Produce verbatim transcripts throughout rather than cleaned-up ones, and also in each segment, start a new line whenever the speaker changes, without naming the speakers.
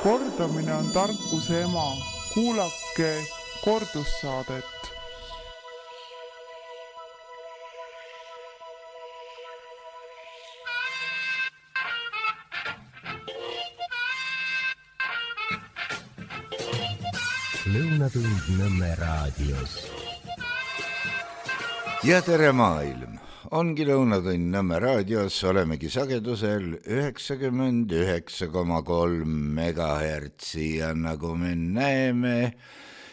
Kordamine on tarkuse ema. Kuulake kordussaadet.
Lõunatund Nõmme raadios.
Ja tere maailm! Ongi Lõunatund Nõmme raadios, olemegi sagedusel üheksakümmend üheksa koma kolm megahertsi ja nagu me näeme,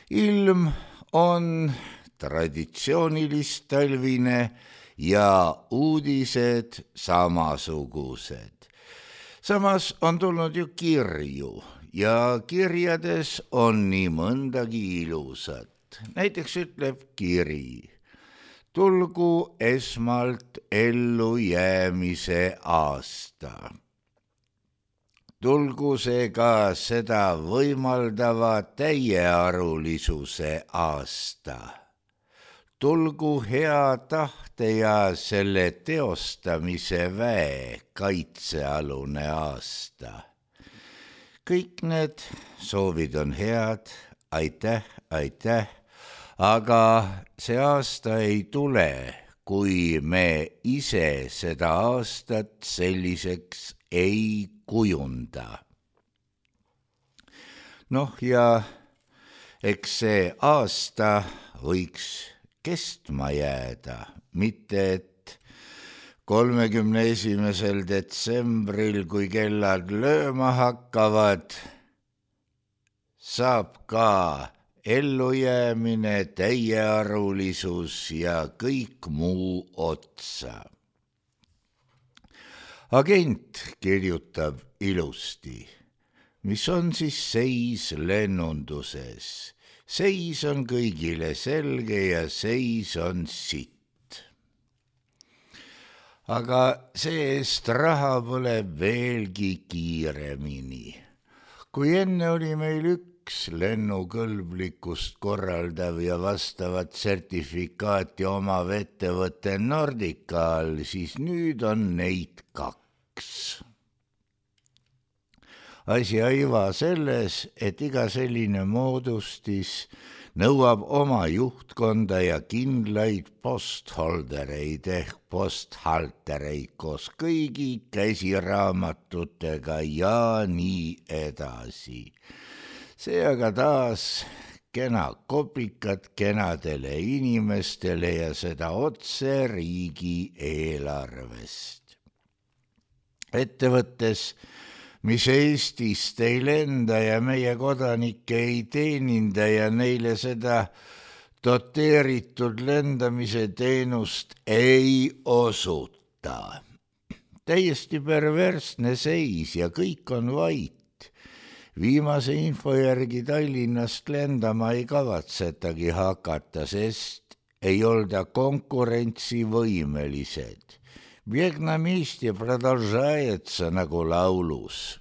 ilm on traditsioonilist talvine ja uudised samasugused. Samas on tulnud ju kirju ja kirjades on nii mõndagi ilusat. Näiteks ütleb kiri: tulgu esmalt ellu jäämise aasta. Tulgu see ka seda võimaldava täiearulisuse aasta. Tulgu hea tahte ja selle teostamise väe kaitsealune aasta. Kõik need soovid on head, aitäh, aitäh, aga see aasta ei tule, kui me ise seda aastat selliseks ei kujunda. Noh ja eks see aasta võiks kestma jääda, mitte et kolmekümne esimesel detsembril, kui kellad lööma hakkavad, saab ka ellujäämine, täiearulisus ja kõik muu otsa. Agent kirjutab ilusti, mis on siis seis lennunduses. Seis on kõigile selge ja seis on sitt. Aga see-eest raha põleb veelgi kiiremini. Kui enne oli meil üks lennukõlblikkust korraldav ja vastavat sertifikaati omav ettevõte Nordica all, siis nüüd on neid kaks. Asi aiva selles, et iga selline moodustis nõuab oma juhtkonda ja kindlaid postholdereid ehk posthaltereid koos kõigi käsiraamatutega ja nii edasi. See aga taas kena kopikat kenadele inimestele ja seda otse riigi eelarvest. Ettevõttes, mis Eestist ei lenda ja meie kodanikke ei teeninda ja neile seda doteeritud lendamise teenust ei osuta. Täiesti perversne seis ja kõik on vait. Viimase info järgi Tallinnast lendama ei kavatsetagi hakata, sest ei olda konkurentsivõimelised. Vietnamist ja продолжается nagu laulus.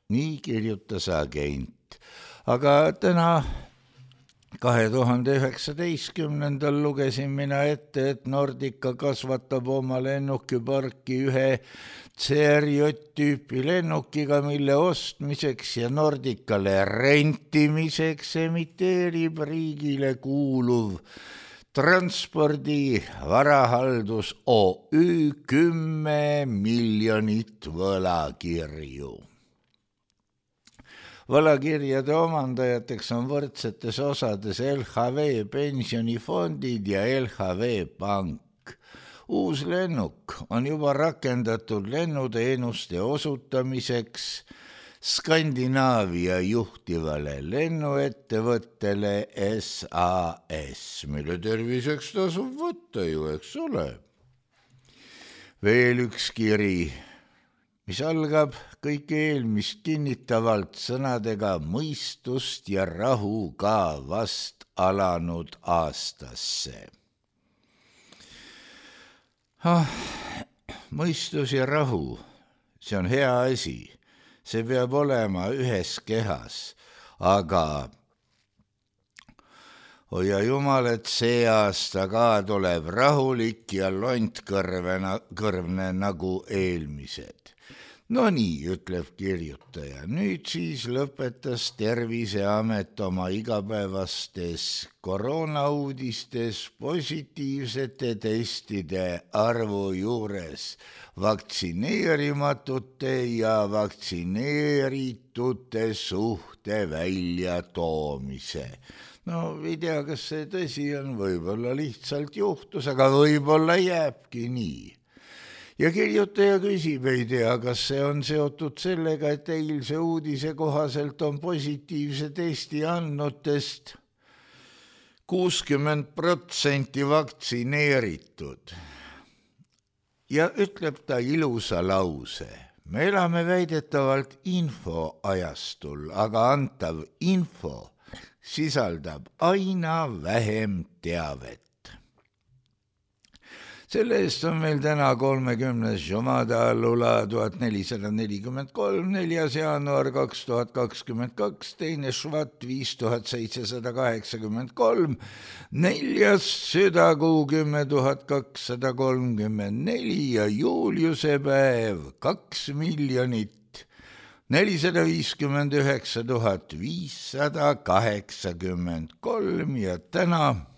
Nii kirjutas agent. Aga täna kahe tuhande üheksateistkümnendal lugesin mina ette, et Nordica kasvatab oma lennukiparki ühe C R J-tüüpi lennukiga, mille ostmiseks ja Nordicale rentimiseks emiteerib riigile kuuluv Transpordi varahaldus O Ü kümme miljonit võlakirju. Võlakirjade omandajateks on võrdsetes osades L H V pensionifondid ja L H V pank. Uus lennuk on juba rakendatud lennuteenuste osutamiseks Skandinaavia juhtivale lennuettevõttele S A S, mille terviseks tasub võtta ju, eks ole. Veel üks kiri, mis algab kõik eelmist kinnitavalt sõnadega mõistust ja rahu ka vast alanud aastasse. Ah, mõistus ja rahu, see on hea asi. See peab olema ühes kehas, aga hoia jumal, et see aasta ka tuleb rahulik ja lontkõrvene nagu eelmised. No nii, ütleb kirjutaja. Nüüd siis lõpetas Terviseamet oma igapäevastes koroonauudistes positiivsete testide arvu juures vaktsineerimatute ja vaktsineeritute suhte välja toomise. No ei tea, kas see tõsi on, võib-olla lihtsalt juhtus, aga võib-olla jääbki nii. Ja kirjutaja küsib, ei tea, kas see on seotud sellega, et eilse uudise kohaselt on positiivse testi andnutest kuuskümmend protsenti vaktsineeritud. Ja ütleb ta ilusa lause. Me elame väidetavalt infoajastul, aga antav info sisaldab aina vähem teavet. Selle eest on meil täna kolmekümnes Jumada Allula tuhat nelisada nelikümmend kolm, neljas jaanuar kaks tuhat kakskümmend kaks, teine Švat viis tuhat seitsesada kaheksakümmend kolm, neljas südakuu kümme tuhat kakssada kolmkümmend neli ja Juliuse päev kaks miljonit nelisada viiskümmend üheksa tuhat viissada kaheksakümmend kolm ja täna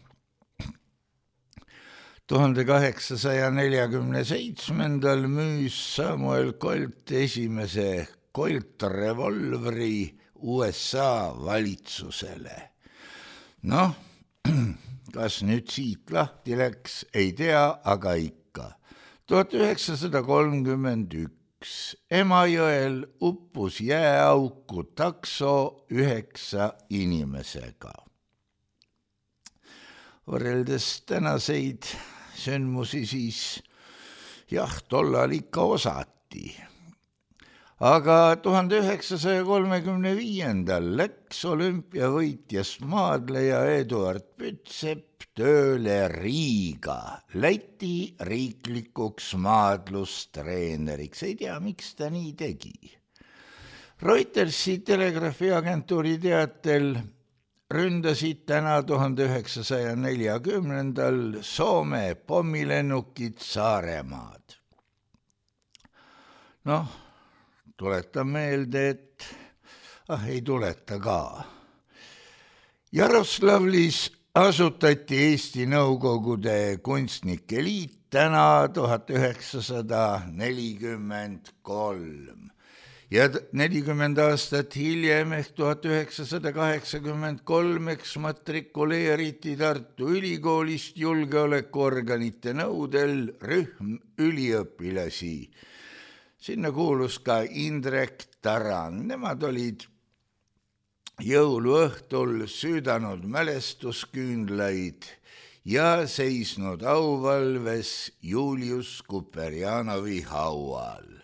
tuhande kaheksasaja neljakümne seitsmendal müüs Samuel Colt esimese Colt revolvri U S A valitsusele. Noh, kas nüüd siit lahti läks, ei tea, aga ikka. tuhat üheksasada kolmkümmend üks Emajõel uppus jääauku takso üheksa inimesega. Võrreldes tänaseid sündmusi siis jah, tollal ikka osati. Aga tuhande üheksasaja kolmekümne viiendal läks olümpiavõitjast maadleja Eduard Pütsepp tööle Riiga, Läti riiklikuks maadlustreeneriks. Ei tea, miks ta nii tegi. Reutersi telegraafiagentuuri teatel ründasid täna tuhande üheksasaja neljakümnendal Soome pommilennukid Saaremaad. Noh, tuletan meelde, et ah, ei tuleta ka. Jaroslavlis asutati Eesti Nõukogude kunstnike liit täna tuhat üheksasada nelikümmend kolm. Ja nelikümmend aastat hiljem ehk tuhat üheksasada kaheksakümmend kolm eksmatrikuleeriti Tartu Ülikoolist julgeolekuorganite nõudel rühm üliõpilasi. Sinna kuulus ka Indrek Tarand. Nemad olid jõuluõhtul süüdanud mälestusküünlaid ja seisnud auvalves Julius Kuperjanovi haual.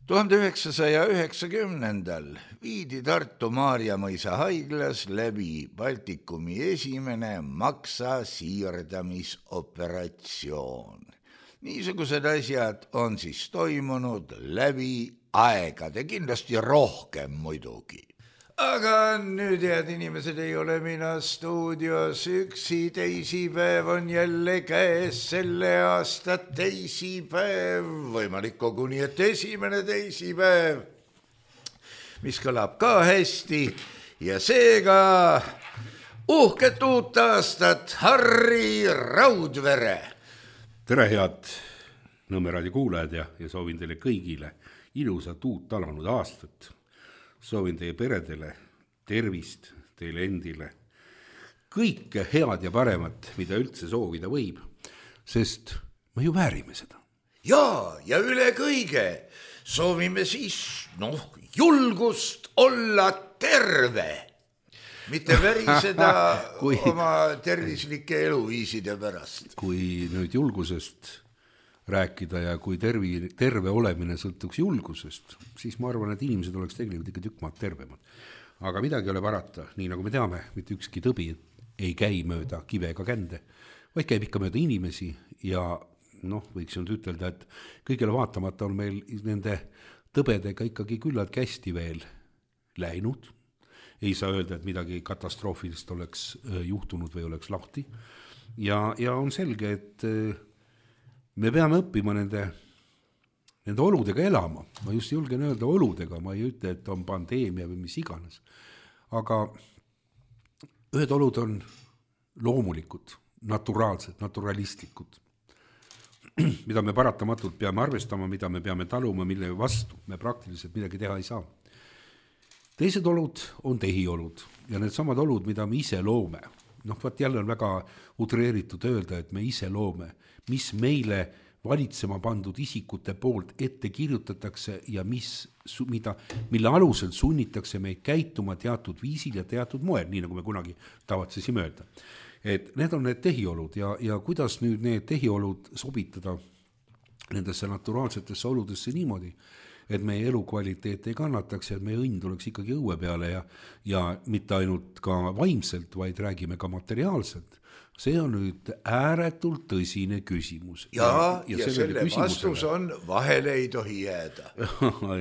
tuhande üheksasaja üheksakümnendal viidi Tartu Maarjamõisa haiglas läbi Baltikumi esimene maksa siirdamisoperatsioon. Niisugused asjad on siis toimunud läbi aegade, kindlasti rohkem muidugi. Aga nüüd, head inimesed, ei ole mina stuudios üksi, teisipäev on jälle käes, selle aasta teisipäev, võimalik koguni, et esimene teisipäev, mis kõlab ka hästi ja seega uhket uut aastat, Harri Raudvere.
Tere, head Nõmme raadio kuulajad ja, ja soovin teile kõigile ilusat uut alanud aastat. Soovin teie peredele tervist, teile endile, kõike head ja paremat, mida üldse soovida võib, sest me ju väärime seda.
Ja, ja üle kõige soovime siis, noh, julgust olla terve, mitte väriseda kui, oma tervislike eluviiside pärast.
Kui nüüd julgusest rääkida ja kui tervi, terve olemine sõltuks julgusest, siis ma arvan, et inimesed oleks tegelikult ikka tükk maad tervemad. Aga midagi ei ole parata, nii nagu me teame, mitte ükski tõbi ei käi mööda kive ega kände, vaid käib ikka mööda inimesi ja noh, võiks nüüd ütelda, et kõigele vaatamata on meil nende tõbedega ikkagi küllalt hästi veel läinud. Ei saa öelda, et midagi katastroofilist oleks juhtunud või oleks lahti. Ja, ja on selge, et me peame õppima nende nende oludega elama, ma just julgen öelda oludega, ma ei ütle, et on pandeemia või mis iganes, aga ühed olud on loomulikud, naturaalsed, naturalistlikud, mida me paratamatult peame arvestama, mida me peame taluma, mille vastu me praktiliselt midagi teha ei saa. Teised olud on tehiolud ja need samad olud, mida me ise loome. Noh, vaat jälle on väga utreeritud öelda, et me ise loome, mis meile valitsema pandud isikute poolt ette kirjutatakse ja mis, mida, mille alusel sunnitakse meid käituma teatud viisil ja teatud moel, nii nagu me kunagi tavatsesime öelda. Et need on need tehiolud ja, ja kuidas nüüd need tehiolud sobitada nendesse naturaalsetesse oludesse niimoodi, et meie elukvaliteet ei kannataks ja et meie õnn tuleks ikkagi õue peale ja, ja mitte ainult ka vaimselt, vaid räägime ka materiaalselt. See on nüüd ääretult tõsine küsimus.
Ja, ja, ja selle vastus on, vahele ei tohi jääda.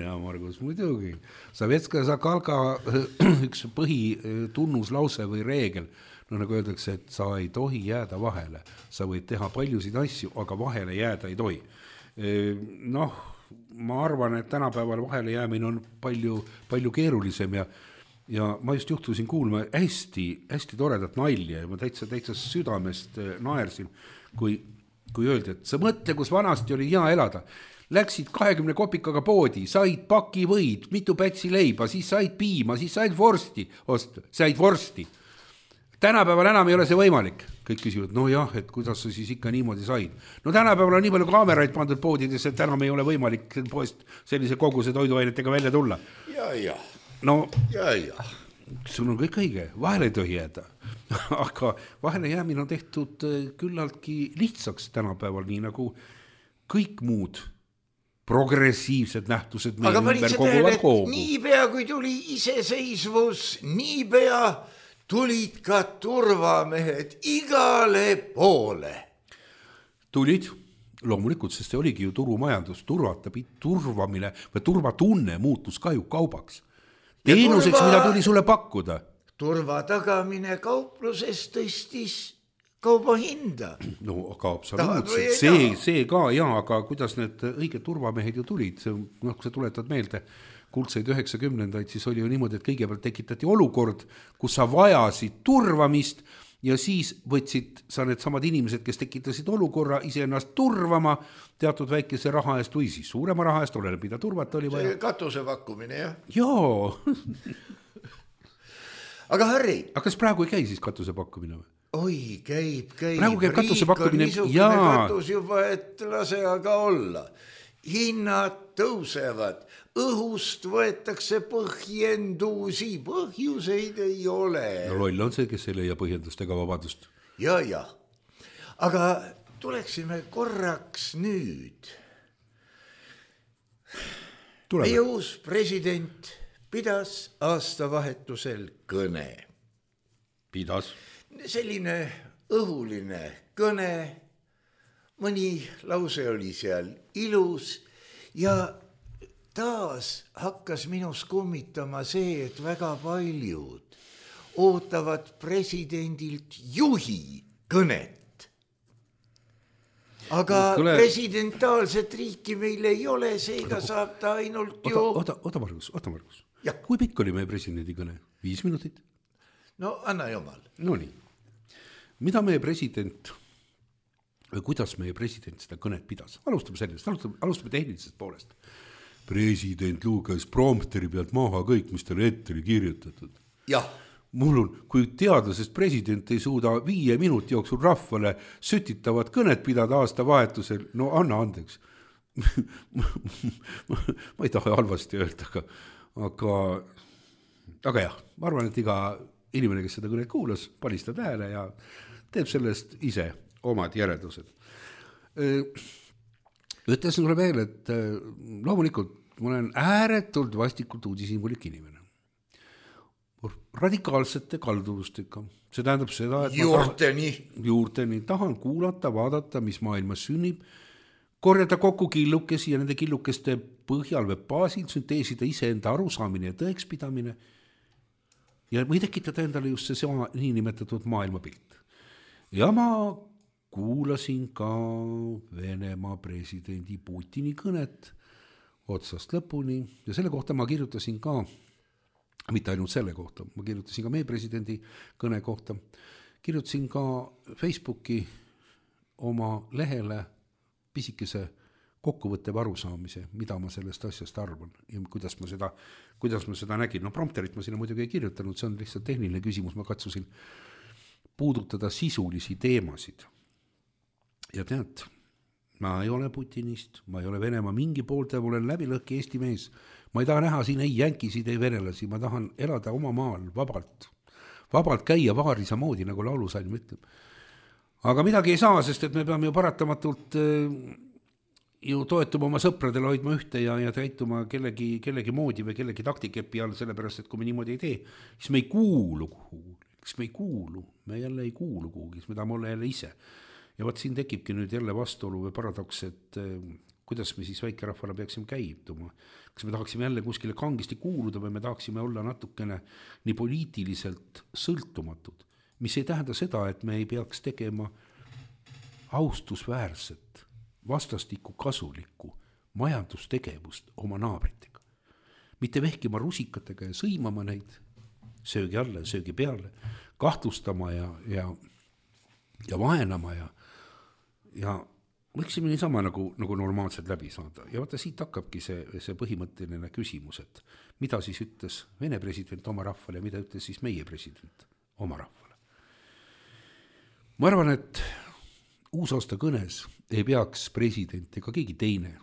Ja, Margus, muidugi. Savetska Zakalka üks põhitunnuslause või reegel, no nagu öeldakse, et sa ei tohi jääda vahele. Sa võid teha paljusid asju, aga vahele jääda ei tohi. Noh, ma arvan, et tänapäeval vahele jäämine on palju, palju keerulisem ja ja ma just juhtusin kuulma hästi, hästi toredat nalja ja ma täitsa, täitsa südamest naersin, kui, kui öeldi, et sa mõtle, kus vanasti oli hea elada. Läksid kahekümne kopikaga poodi, said paki võid, mitu pätsi leiba, siis said piima, siis said vorsti, ost, said vorsti. Tänapäeval enam ei ole see võimalik. Kõik küsivad, no jah, et kuidas sa siis ikka niimoodi said. No tänapäeval on nii palju kaameraid pandud poodides, et enam ei ole võimalik poest sellise koguse toiduainetega välja tulla.
Ja, ja.
No,
ja, ja.
Sul on kõik õige, vahele ei tohi jääda. Aga vahele jäämine on tehtud küllaltki lihtsaks tänapäeval, nii nagu kõik muud progressiivsed nähtused
meil ümber koguvad koogu. Nii pea, kui tuli iseseisvus, nii pea tulid ka turvamehed igale poole.
Tulid, loomulikult, sest see oligi ju turumajandus, turvata, turvamine või turvatunne muutus ka ju kaubaks. Teenuseks, turva, mida tuli sulle pakkuda.
Turva tagamine kaupluses tõstis kauba hinda.
No, aga absoluutselt. See, see ka, jaa, aga kuidas need õiged turvamehed ju tulid? No, kui sa tuletad meelde kuldseid üheksakümnendaid, siis oli ju niimoodi, et kõigepealt tekitati olukord, kus sa vajasid turvamist ja siis võtsid sa need samad inimesed, kes tekitasid olukorra ise ennast turvama teatud väikese raha eest või siis suurema raha eest, oleneb, mida turvata oli vaja.
See katuse pakkumine, jah?
Joo.
Aga Harri.
Aga kas praegu ei käi siis katuse pakkumine või?
Oi, käib, käib.
Praegu käib katuse pakkumine.
Riik on niisugune katus juba, et lase aga olla. Hinnad tõusevad. Õhust võetakse põhjendusi, põhjuseid ei ole.
No loll on see, kes ei leia põhjendust ega vabadust.
Ja, ja. Aga tuleksime korraks nüüd. Tuleme. Meie uus president pidas aastavahetusel kõne.
Pidas?
Selline õhuline kõne. Mõni lause oli seal ilus ja taas hakkas minus kummitama see, et väga paljud ootavad presidendilt juhi kõnet. Aga Kule... presidentaalset riiki meil ei ole, seega oota, saab ta ainult
oota,
ju...
Oota, oota Margus, oota Margus. Kui pikk oli meie presidendi kõne? Viis minutit?
No anna jumal.
No nii. Mida meie president, või kuidas meie president seda kõnet pidas? Alustame sellest, alustame, alustame tehnilisest poolest. President luges prompteri pealt maha kõik, mis talle ette oli kirjutatud.
Jah.
Mul on, kui teadlasest president ei suuda viie minuti jooksul rahvale sütitavat kõnet pidada aasta vahetusel, no anna andeks. Ma ei taha halvasti öelda, aga, aga, aga jah, ma arvan, et iga inimene, kes seda kõnet kuulas, panistab hääle ja teeb sellest ise omad järeldused. Ütlesin sulle veel, et loomulikult ma olen ääretult vastikult uudishimulik inimene. Radikaalsete kalduvustega. See tähendab seda, et
juurteni.
Tahan, juurteni tahan kuulata, vaadata, mis maailmas sünnib, korjata kokku killukesi ja nende killukeste põhjal või baasil sünteesida iseenda arusaamine ja tõekspidamine ja või tekitada endale just see sama niinimetatud maailmapilt. Ja ma kuulasin ka Venemaa presidendi Putini kõnet otsast lõpuni ja selle kohta ma kirjutasin ka, mitte ainult selle kohta, ma kirjutasin ka meie presidendi kõne kohta, kirjutasin ka Facebooki oma lehele pisikese kokkuvõttev arusaamise, mida ma sellest asjast arvan ja kuidas ma seda, kuidas ma seda nägin. No prompterit ma sinna muidugi ei kirjutanud, see on lihtsalt tehniline küsimus, ma katsusin puudutada sisulisi teemasid. Ja tead, ma ei ole Putinist, ma ei ole Venemaa mingi poolte, ma olen läbi lõhki Eesti mees. Ma ei taha näha siin ei jänkisid, ei venelasi, ma tahan elada oma maal vabalt, vabalt käia vaarisa moodi, nagu laulusalm ütleb. Aga midagi ei saa, sest et me peame ju paratamatult ju toetuma oma sõpradele, hoidma ühte ja, ja täituma kellegi, kellegi moodi või kellegi taktikepi all, sellepärast, et kui me niimoodi ei tee, siis me ei kuulu kuhugi, siis me ei kuulu, me jälle ei kuulu kuhugi, siis me tahame olla jälle ise. Ja võt siin tekibki nüüd jälle vastuolu või paradoks, et kuidas me siis väikerahvale peaksime käituma. Kas me tahaksime jälle kuskile kangisti kuuluda või me tahaksime olla natukene nii poliitiliselt sõltumatud, mis ei tähenda seda, et me ei peaks tegema austusväärset, vastastikku kasulikku majandustegevust oma naabritega. Mitte vehkima rusikatega ja sõimama neid söögi alla ja söögi peale, kahtlustama ja, ja, ja vaenama ja, ja võiksime niisama nagu, nagu normaalselt läbi saada. Ja vaata, siit hakkabki see, see põhimõtteline küsimus, et mida siis ütles Vene president oma rahvale ja mida ütles siis meie president oma rahvale. Ma arvan, et uusaasta kõnes ei peaks president ega keegi teine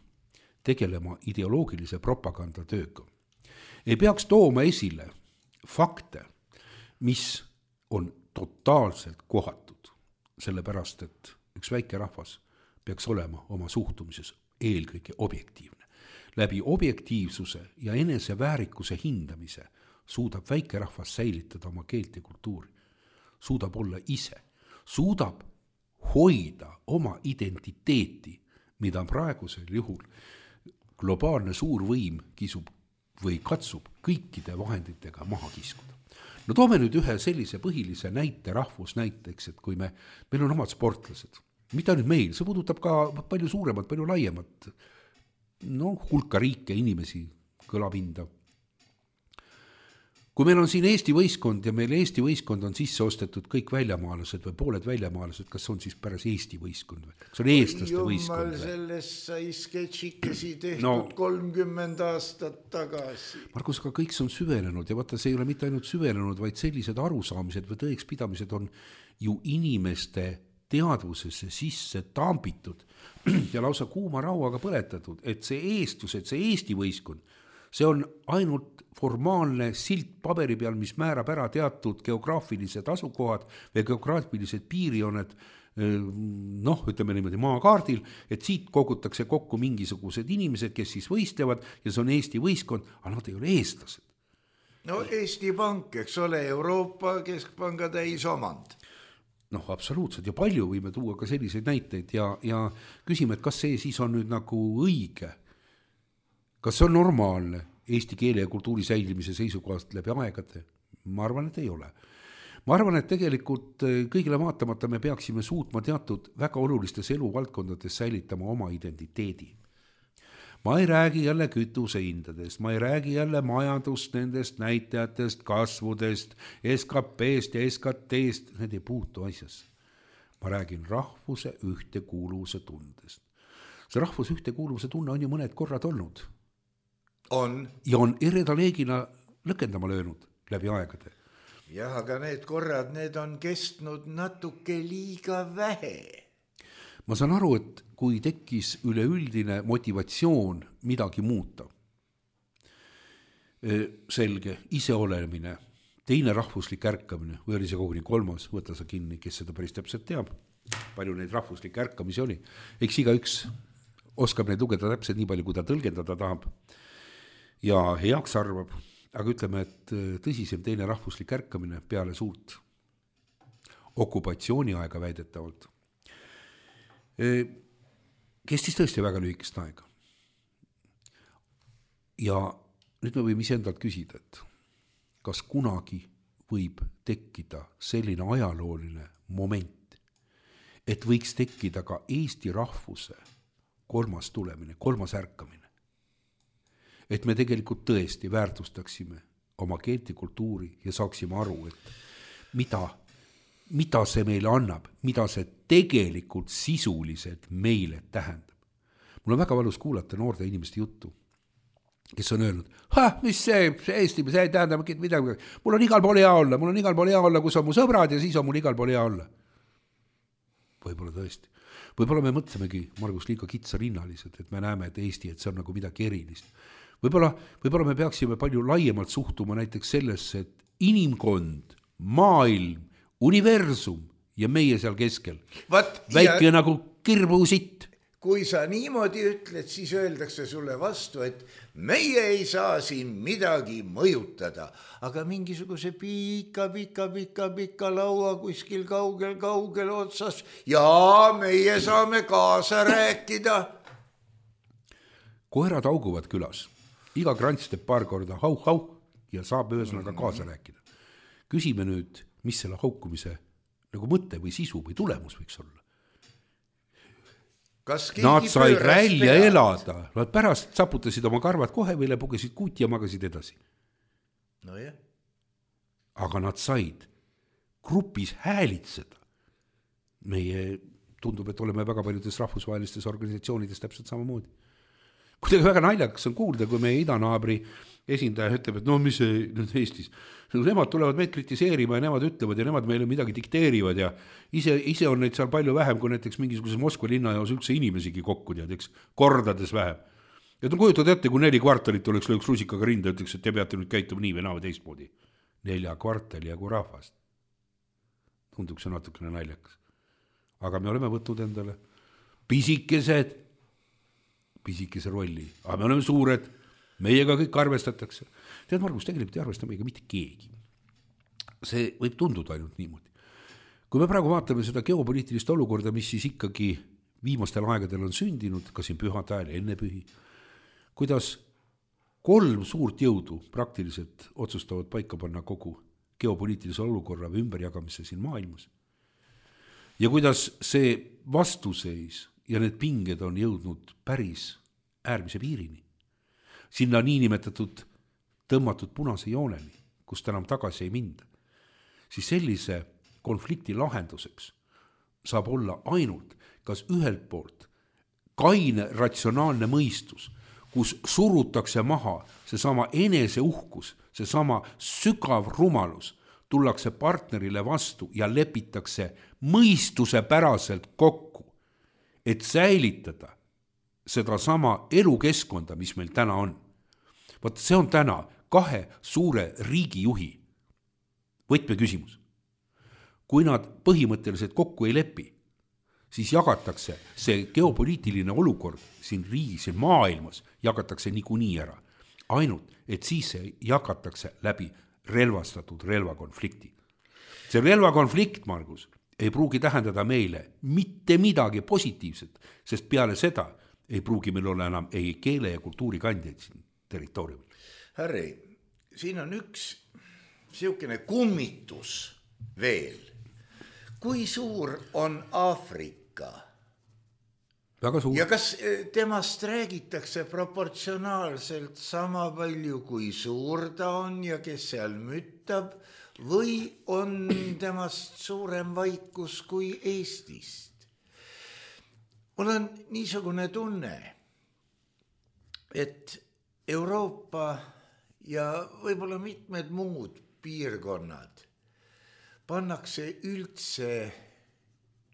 tegelema ideoloogilise propaganda tööga. Ei peaks tooma esile fakte, mis on totaalselt kohatud, sellepärast, et üks väike rahvas peaks olema oma suhtumises eelkõige objektiivne. Läbi objektiivsuse ja enese väärikuse hindamise suudab väike rahvas säilitada oma keelt ja kultuuri, suudab olla ise, suudab hoida oma identiteeti, mida praegusel juhul globaalne suur võim kisub või katsub kõikide vahenditega maha kiskuda. No toome nüüd ühe sellise põhilise näite rahvusnäiteks, et kui me, meil on omad sportlased, mida nüüd meil, see puudutab ka palju suuremat, palju laiemat, no hulka riike, inimesi, kõlapinda. Kui meil on siin Eesti võistkond ja meil Eesti võistkond on sisse ostetud kõik väljamaalased või pooled väljamaalased, kas on siis pärast Eesti võistkond või? See on eestlaste
Jumal,
võistkond.
Sellest sai sketšikesi tehtud
No.
kolmkümmend aastat tagasi.
Markus, aga kõik see on süvenenud ja vaata, see ei ole mitte ainult süvenenud, vaid sellised arusaamised või tõekspidamised on ju inimeste teadvusesse sisse tambitud ja lausa kuuma rauaga põletatud, et see eestlus, et see Eesti võistkond, see on ainult formaalne silt paberi peal, mis määrab ära teatud geograafilised asukohad või geograafilised piirjooned, noh, ütleme niimoodi maakaardil, et siit kogutakse kokku mingisugused inimesed, kes siis võistlevad ja see on Eesti võistkond, aga nad ei ole eestlased.
No Eesti Pank, eks ole, Euroopa Keskpanga täisomand.
Noh, absoluutselt ja palju võime tuua ka selliseid näiteid ja, ja küsime, et kas see siis on nüüd nagu õige. Kas see on normaalne eesti keele ja kultuuri säilimise seisukohast läbi aegade? Ma arvan, et ei ole. Ma arvan, et tegelikult kõigile vaatamata me peaksime suutma teatud väga olulistes eluvaldkondades säilitama oma identiteedi. Ma ei räägi jälle kütusehindadest, ma ei räägi jälle majandust, nendest näitajatest, kasvudest, S K P-st ja S K T-st, need ei puutu asjas. Ma räägin rahvuse ühtekuuluvuse tundest. See rahvuse ühtekuuluvuse tunne on ju mõned korrad olnud.
On.
Ja on eredaleegina lõkendama löönud läbi aegade.
Jah, aga need korrad, need on kestnud natuke liiga vähe.
Ma saan aru, et kui tekkis üleüldine motivatsioon midagi muuta, selge, iseolemine, teine rahvuslik ärkamine, või oli see koguni kolmas, võta sa kinni, kes seda päris täpselt teab, palju neid rahvuslik ärkamisi oli. Eks iga üks oskab neid lugeda täpselt nii palju, kui ta tõlgendada tahab ja heaks arvab, aga ütleme, et tõsisem teine rahvuslik ärkamine peale suurt okupatsiooniaega väidetavalt kestis tõesti väga lühikest aega. Ja nüüd me võime iseendalt küsida, et kas kunagi võib tekkida selline ajalooline moment, et võiks tekkida ka Eesti rahvuse kolmas tulemine, kolmas ärkamine. et me tegelikult tõesti väärtustaksime oma keelt ja kultuuri ja saaksime aru, et mida, mida see meile annab, mida see tegelikult sisuliselt meile tähendab. Mul on väga valus kuulata noorte inimeste juttu, kes on öelnud, ha, mis see, see Eesti, see ei tähenda midagi, mul on igal pool hea olla, mul on igal pool hea olla, kus on mu sõbrad ja siis on mul igal pool hea olla. Võib-olla tõesti. Võib-olla me mõtlemegi, Margus, liiga kitsarinnalised, et me näeme, et Eesti, et see on nagu midagi erilist. Võib-olla, võib-olla me peaksime palju laiemalt suhtuma näiteks sellesse, et inimkond, maailm, universum ja meie seal keskel. Vat, väike ja... nagu kirbusitt.
Kui sa niimoodi ütled, siis öeldakse sulle vastu, et meie ei saa siin midagi mõjutada, aga mingisuguse pika, pika, pika, pika laua kuskil kaugel, kaugel otsas ja meie saame kaasa rääkida.
Koerad auguvad külas. Iga krants teeb paar korda hau, hau ja saab ühesõnaga kaasa rääkida. Küsime nüüd, mis selle haukumise nagu mõte või sisu või tulemus võiks olla. Nad said välja pead? elada, nad pärast saputasid oma karvad kohe või pugesid kuuti ja magasid edasi.
No jah.
Aga nad said grupis häälitseda. Meie tundub, et oleme väga paljudes rahvusvahelistes organisatsioonides täpselt samamoodi. Kuidagi väga naljakas on kuulda, kui meie idanaabri esindaja ütleb, et no mis see nüüd Eestis, nemad tulevad meid kritiseerima ja nemad ütlevad ja nemad meile midagi dikteerivad ja ise, ise on neid seal palju vähem, kui näiteks mingisuguses Moskva linnajaos üldse inimesigi kokku tead, eks, kordades vähem. Ja ta kujutad ette, kui neli kvartalit oleks lööks rusikaga rinda, ütleks, et te peate nüüd käituma nii või naa või teistmoodi. Nelja kvartali ja kui rahvast. Tunduks see natukene naljakas. Aga me oleme võtnud endale pisikesed pisikese rolli, aga me oleme suured, meiega kõik arvestatakse. Tead, Margus, tegelikult ei arvesta meiega mitte keegi. See võib tunduda ainult niimoodi. Kui me praegu vaatame seda geopoliitilist olukorda, mis siis ikkagi viimastel aegadel on sündinud, ka siin pühade ajal, enne pühi, kuidas kolm suurt jõudu praktiliselt otsustavad paika panna kogu geopoliitilise olukorra või ümberjagamise siin maailmas. Ja kuidas see vastuseis ja need pinged on jõudnud päris äärmise piirini. Sinna niinimetatud tõmmatud punase jooneni, kust enam tagasi ei minda. Siis sellise konflikti lahenduseks saab olla ainult kas ühelt poolt kaine ratsionaalne mõistus, kus surutakse maha seesama eneseuhkus, seesama sügav rumalus, tullakse partnerile vastu ja lepitakse mõistuse päraselt kokku, et säilitada seda sama elukeskkonda, mis meil täna on. Vaat see on täna kahe suure riigijuhi võtme küsimus. Kui nad põhimõtteliselt kokku ei lepi, siis jagatakse see geopoliitiline olukord siin riigis ja maailmas, jagatakse niikuinii ära. Ainult, et siis see jagatakse läbi relvastatud relvakonflikti. See relvakonflikt, Margus, ei pruugi tähendada meile mitte midagi positiivset, sest peale seda ei pruugi meil olla enam ei keele ja kultuuri kandjaid siin territooriumil.
Harri, siin on üks siukene kummitus veel. Kui suur on Aafrika?
Väga suur.
Ja kas temast räägitakse proportsionaalselt sama palju, kui suur ta on ja kes seal müttab, või on temast suurem vaikus kui Eestist? Mul on niisugune tunne, et Euroopa ja võib-olla mitmed muud piirkonnad pannakse üldse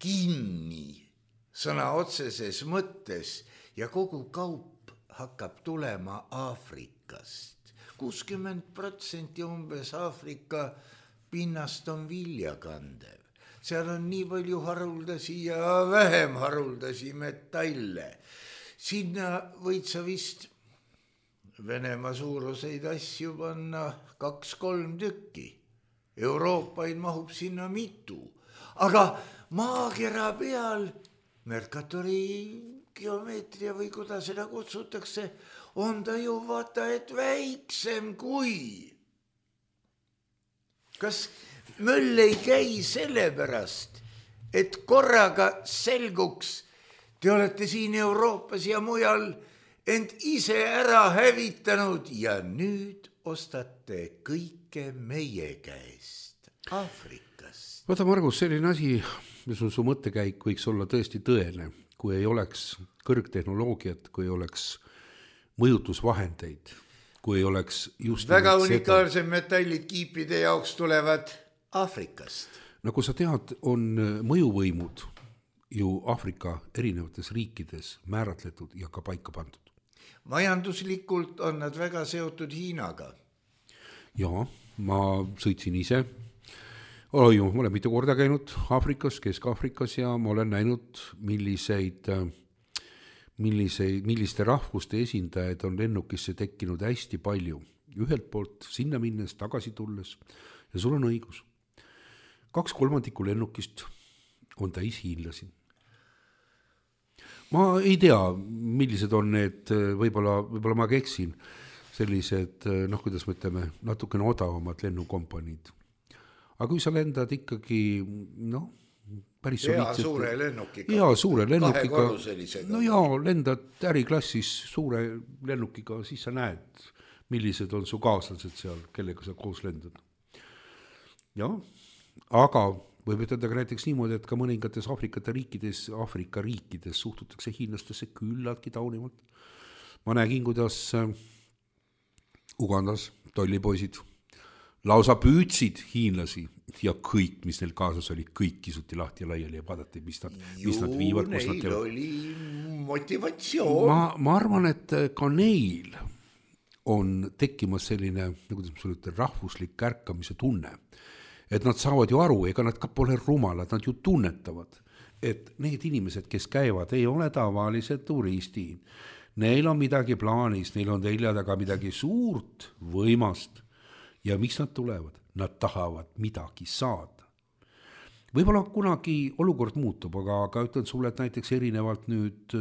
kinni sõna otseses mõttes ja kogu kaup hakkab tulema Aafrikast. kuuskümmend protsenti umbes Aafrika pinnast on viljakandev. Seal on nii palju haruldasi ja vähem haruldasi metalle. Sinna võid sa vist Venemaa suuruseid asju panna kaks-kolm tükki. Euroopaid mahub sinna mitu. Aga maakera peal Mercatori geomeetria või kuidas seda kutsutakse, on ta ju vaata, et väiksem kui. Kas möll ei käi sellepärast, et korraga selguks, te olete siin Euroopas ja mujal, ent ise ära hävitanud ja nüüd ostate kõike meie käest Aafrikast.
Vaata, Margus, selline asi, mis on su mõttekäik, võiks olla tõesti tõene, kui ei oleks kõrgtehnoloogiat, kui ei oleks mõjutusvahendeid, kui ei oleks just
väga unikaalsed metallid kiipide jaoks tulevad Aafrikast.
Nagu sa tead, on mõjuvõimud ju Aafrika erinevates riikides määratletud ja ka paika pandud.
Majanduslikult on nad väga seotud Hiinaga.
Jaa, ma sõitsin ise. Oi, ma olen mitu korda käinud Aafrikas, Kesk-Aafrikas ja ma olen näinud, milliseid, milliseid, milliste rahvuste esindajaid on lennukisse tekkinud hästi palju. Ühelt poolt sinna minnes, tagasi tulles ja sul on õigus. Kaks kolmandikku lennukist on täis hiinlasi. Ma ei tea, millised on need, võib-olla, võib-olla ma keksin, sellised, noh, kuidas me ütleme, natukene odavamad lennukompaniid. Aga kui sa lendad ikkagi, noh, päris
hea
soliidselt,
suure lennukiga.
Hea suure lennukiga.
Kahekorruselisega.
No jaa, lendad äriklassis suure lennukiga, siis sa näed, millised on su kaaslased seal, kellega sa koos lendad. Jah, aga võib ütelda ka näiteks niimoodi, et ka mõningates Aafrikate riikides, Aafrika riikides suhtutakse hiinlastesse küllaltki taunivalt. Ma nägin, kuidas Ugandas tollipoisid lausa püüdsid hiinlasi ja kõik, mis neil kaasas oli, kõik kisuti lahti ja laiali ja vaadati, mis nad, mis nad viivad.
Ju neil nad oli motivatsioon.
Ma, ma arvan, et ka neil on tekkimas selline, nagu te ütlete, rahvuslik kärkamise tunne. Et nad saavad ju aru, ega nad ka pole rumalad, nad ju tunnetavad, et need inimesed, kes käivad, ei ole tavalised turistid. Neil on midagi plaanis, neil on telja taga midagi suurt, võimast. Ja miks nad tulevad? Nad tahavad midagi saada. Võib-olla kunagi olukord muutub, aga, aga ütlen sulle, et näiteks erinevalt nüüd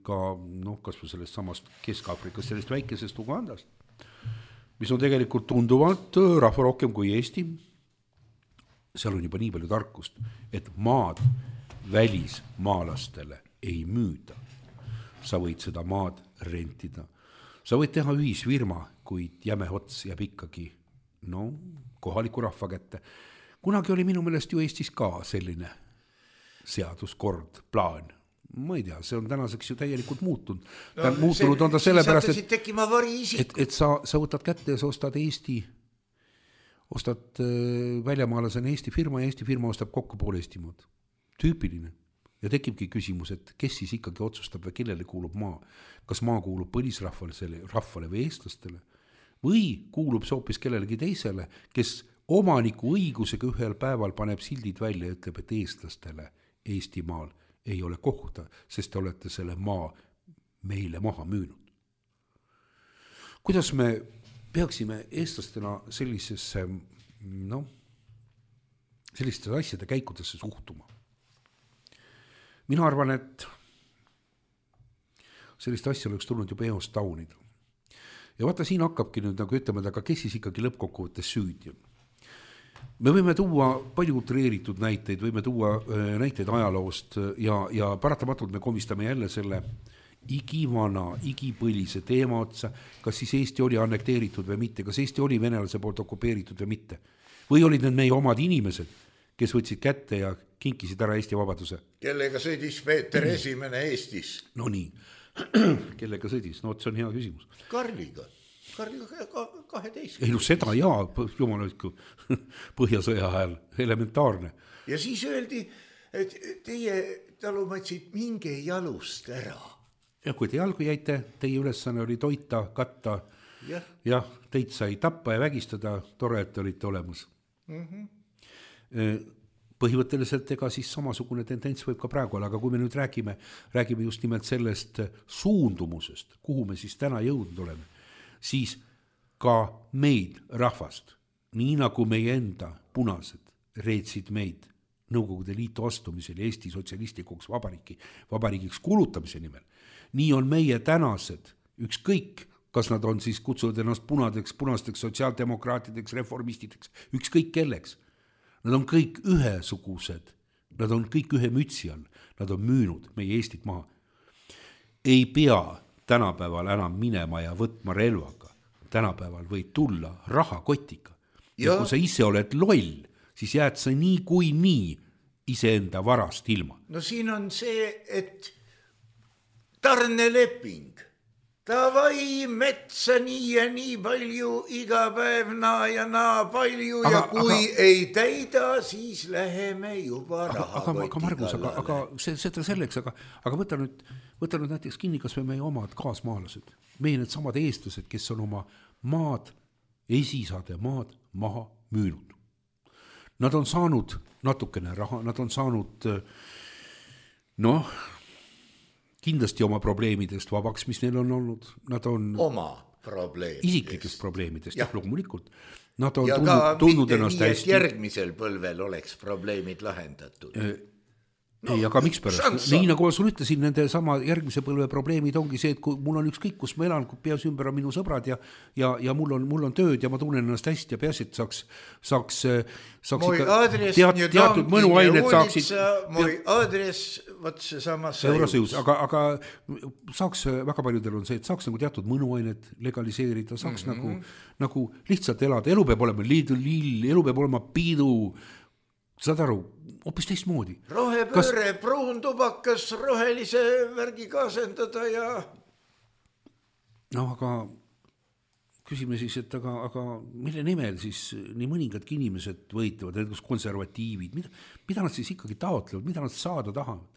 ka, noh, kas või sellest samast Kesk-Aafrikast, sellest väikesest Ugandast, mis on tegelikult tunduvalt rahva rohkem kui Eesti, seal on juba nii palju tarkust, et maad välismaalastele ei müüda. Sa võid seda maad rentida. Sa võid teha ühisfirma, kuid jäme ots jääb ikkagi no, kohaliku rahva kätte. Kunagi oli minu meelest ju Eestis ka selline seaduskord, plaan. Ma ei tea, see on tänaseks ju täielikult muutunud. Ta no, muutunud see, on ta sellepärast, et, et, et sa, sa võtad kätte ja sa ostad Eesti ostad väljamaalasena Eesti firma ja Eesti firma ostab kokku pool Eestimaad. Tüüpiline. Ja tekibki küsimus, et kes siis ikkagi otsustab või kellele kuulub maa. Kas maa kuulub põlisrahvale rahvale või eestlastele või kuulub see hoopis kellelegi teisele, kes omaniku õigusega ühel päeval paneb sildid välja ja ütleb, et eestlastele Eestimaal ei ole kohta, sest te olete selle maa meile maha müünud. Kuidas me peaksime eestlastena sellisesse, noh, sellistesse asjade käikudesse suhtuma. Mina arvan, et sellist asja oleks tulnud juba eost taunida. Ja vaata, siin hakkabki nüüd, nagu ütleme, aga kes siis ikkagi lõppkokkuvõttes süüdi on. Me võime tuua palju utreeritud näiteid, võime tuua näiteid ajaloost ja, ja paratamatult me komistame jälle selle igivana, igipõlise teema otsa, kas siis Eesti oli annekteeritud või mitte, kas Eesti oli venelase poolt okupeeritud või mitte. Või olid need meie omad inimesed, kes võtsid kätte ja kinkisid ära Eesti vabaduse.
Kellega sõdis Peeter esimene Eestis?
No nii, kellega sõdis? No see on hea küsimus.
Karliga. Karliga kaheteist.
Ei no seda jaa, jumal ütku, Põhjasõja ajal, elementaarne.
Ja siis öeldi, et teie talumatsid minge jalust ära.
Ja kui te jalgu jäite, teie ülesanne oli toita, katta, jah, ja, teid sai tappa ja vägistada, tore, et olite olemas. Mm-hmm. Põhimõtteliselt ega siis samasugune tendents võib ka praegu olla, aga kui me nüüd räägime, räägime just nimelt sellest suundumusest, kuhu me siis täna jõudnud oleme, siis ka meid rahvast, nii nagu meie enda punased reetsid meid Nõukogude Liitu astumisel Eesti sotsialistikuks vabariigi, vabariigiks kulutamise nimel. Nii on meie tänased, ükskõik, kas nad on siis kutsunud ennast punadeks, punasteks, sotsiaaldemokraatideks, reformistideks, ükskõik kelleks. Nad on kõik ühesugused, nad on kõik ühe mütsi all, nad on müünud meie Eestit maha. Ei pea tänapäeval enam minema ja võtma relvaga. Tänapäeval võid tulla rahakotiga. Ja, ja kui sa ise oled loll, siis jääd sa nii kui nii iseenda varast ilma.
No siin on see, et tarneleping. Tavai metsa nii ja nii palju, iga päev naa ja naa palju aga, ja kui aga, ei täida, siis läheme juba rahakoti
aga, Margus, aga, aga see, seda selleks, aga, aga võta, nüüd, võta nüüd näiteks kinni, kas või meie omad kaasmaalased. Meie need samad eestlased, kes on oma maad, esisade maad maha müünud. Nad on saanud natukene raha, nad on saanud noh, kindlasti oma probleemidest vabaks, mis neil on olnud. Nad on
oma probleemidest.
Isiklikest probleemidest, jah, loomulikult. Nad on
ja
tundnud,
ka
tundnud
mitte
ennast
nii,
hästi.
et järgmisel põlvel oleks probleemid lahendatud.
No, ei, aga miks pärast? Nii nagu ma sul ütlesin, nende sama järgmise põlve probleemid ongi see, et kui mul on ükskõik, kus ma elan, kui peas ümber on minu sõbrad ja, ja, ja mul, on, mul on tööd ja ma tunnen ennast hästi ja peas, et saaks, saaks, saaks ikka teat, teatud mõnuained saaksid.
Moj adres, võt see sama
Eurosõjus, aga, aga saaks, väga paljudel on see, et saaks nagu teatud mõnuained legaliseerida, saaks mm-hmm. nagu, nagu lihtsalt elada. Elu peab olema liidu lill, elu peab olema piidu. Saad aru, hoopis teistmoodi.
Rohepööre, Kas... pruun tubakas, rohelise värgi kaasendada ja...
No aga küsime siis, et aga, aga mille nimel siis nii mõningadki inimesed võitlevad, kus konservatiivid, mida, mida nad siis ikkagi taotlevad, mida nad saada tahavad?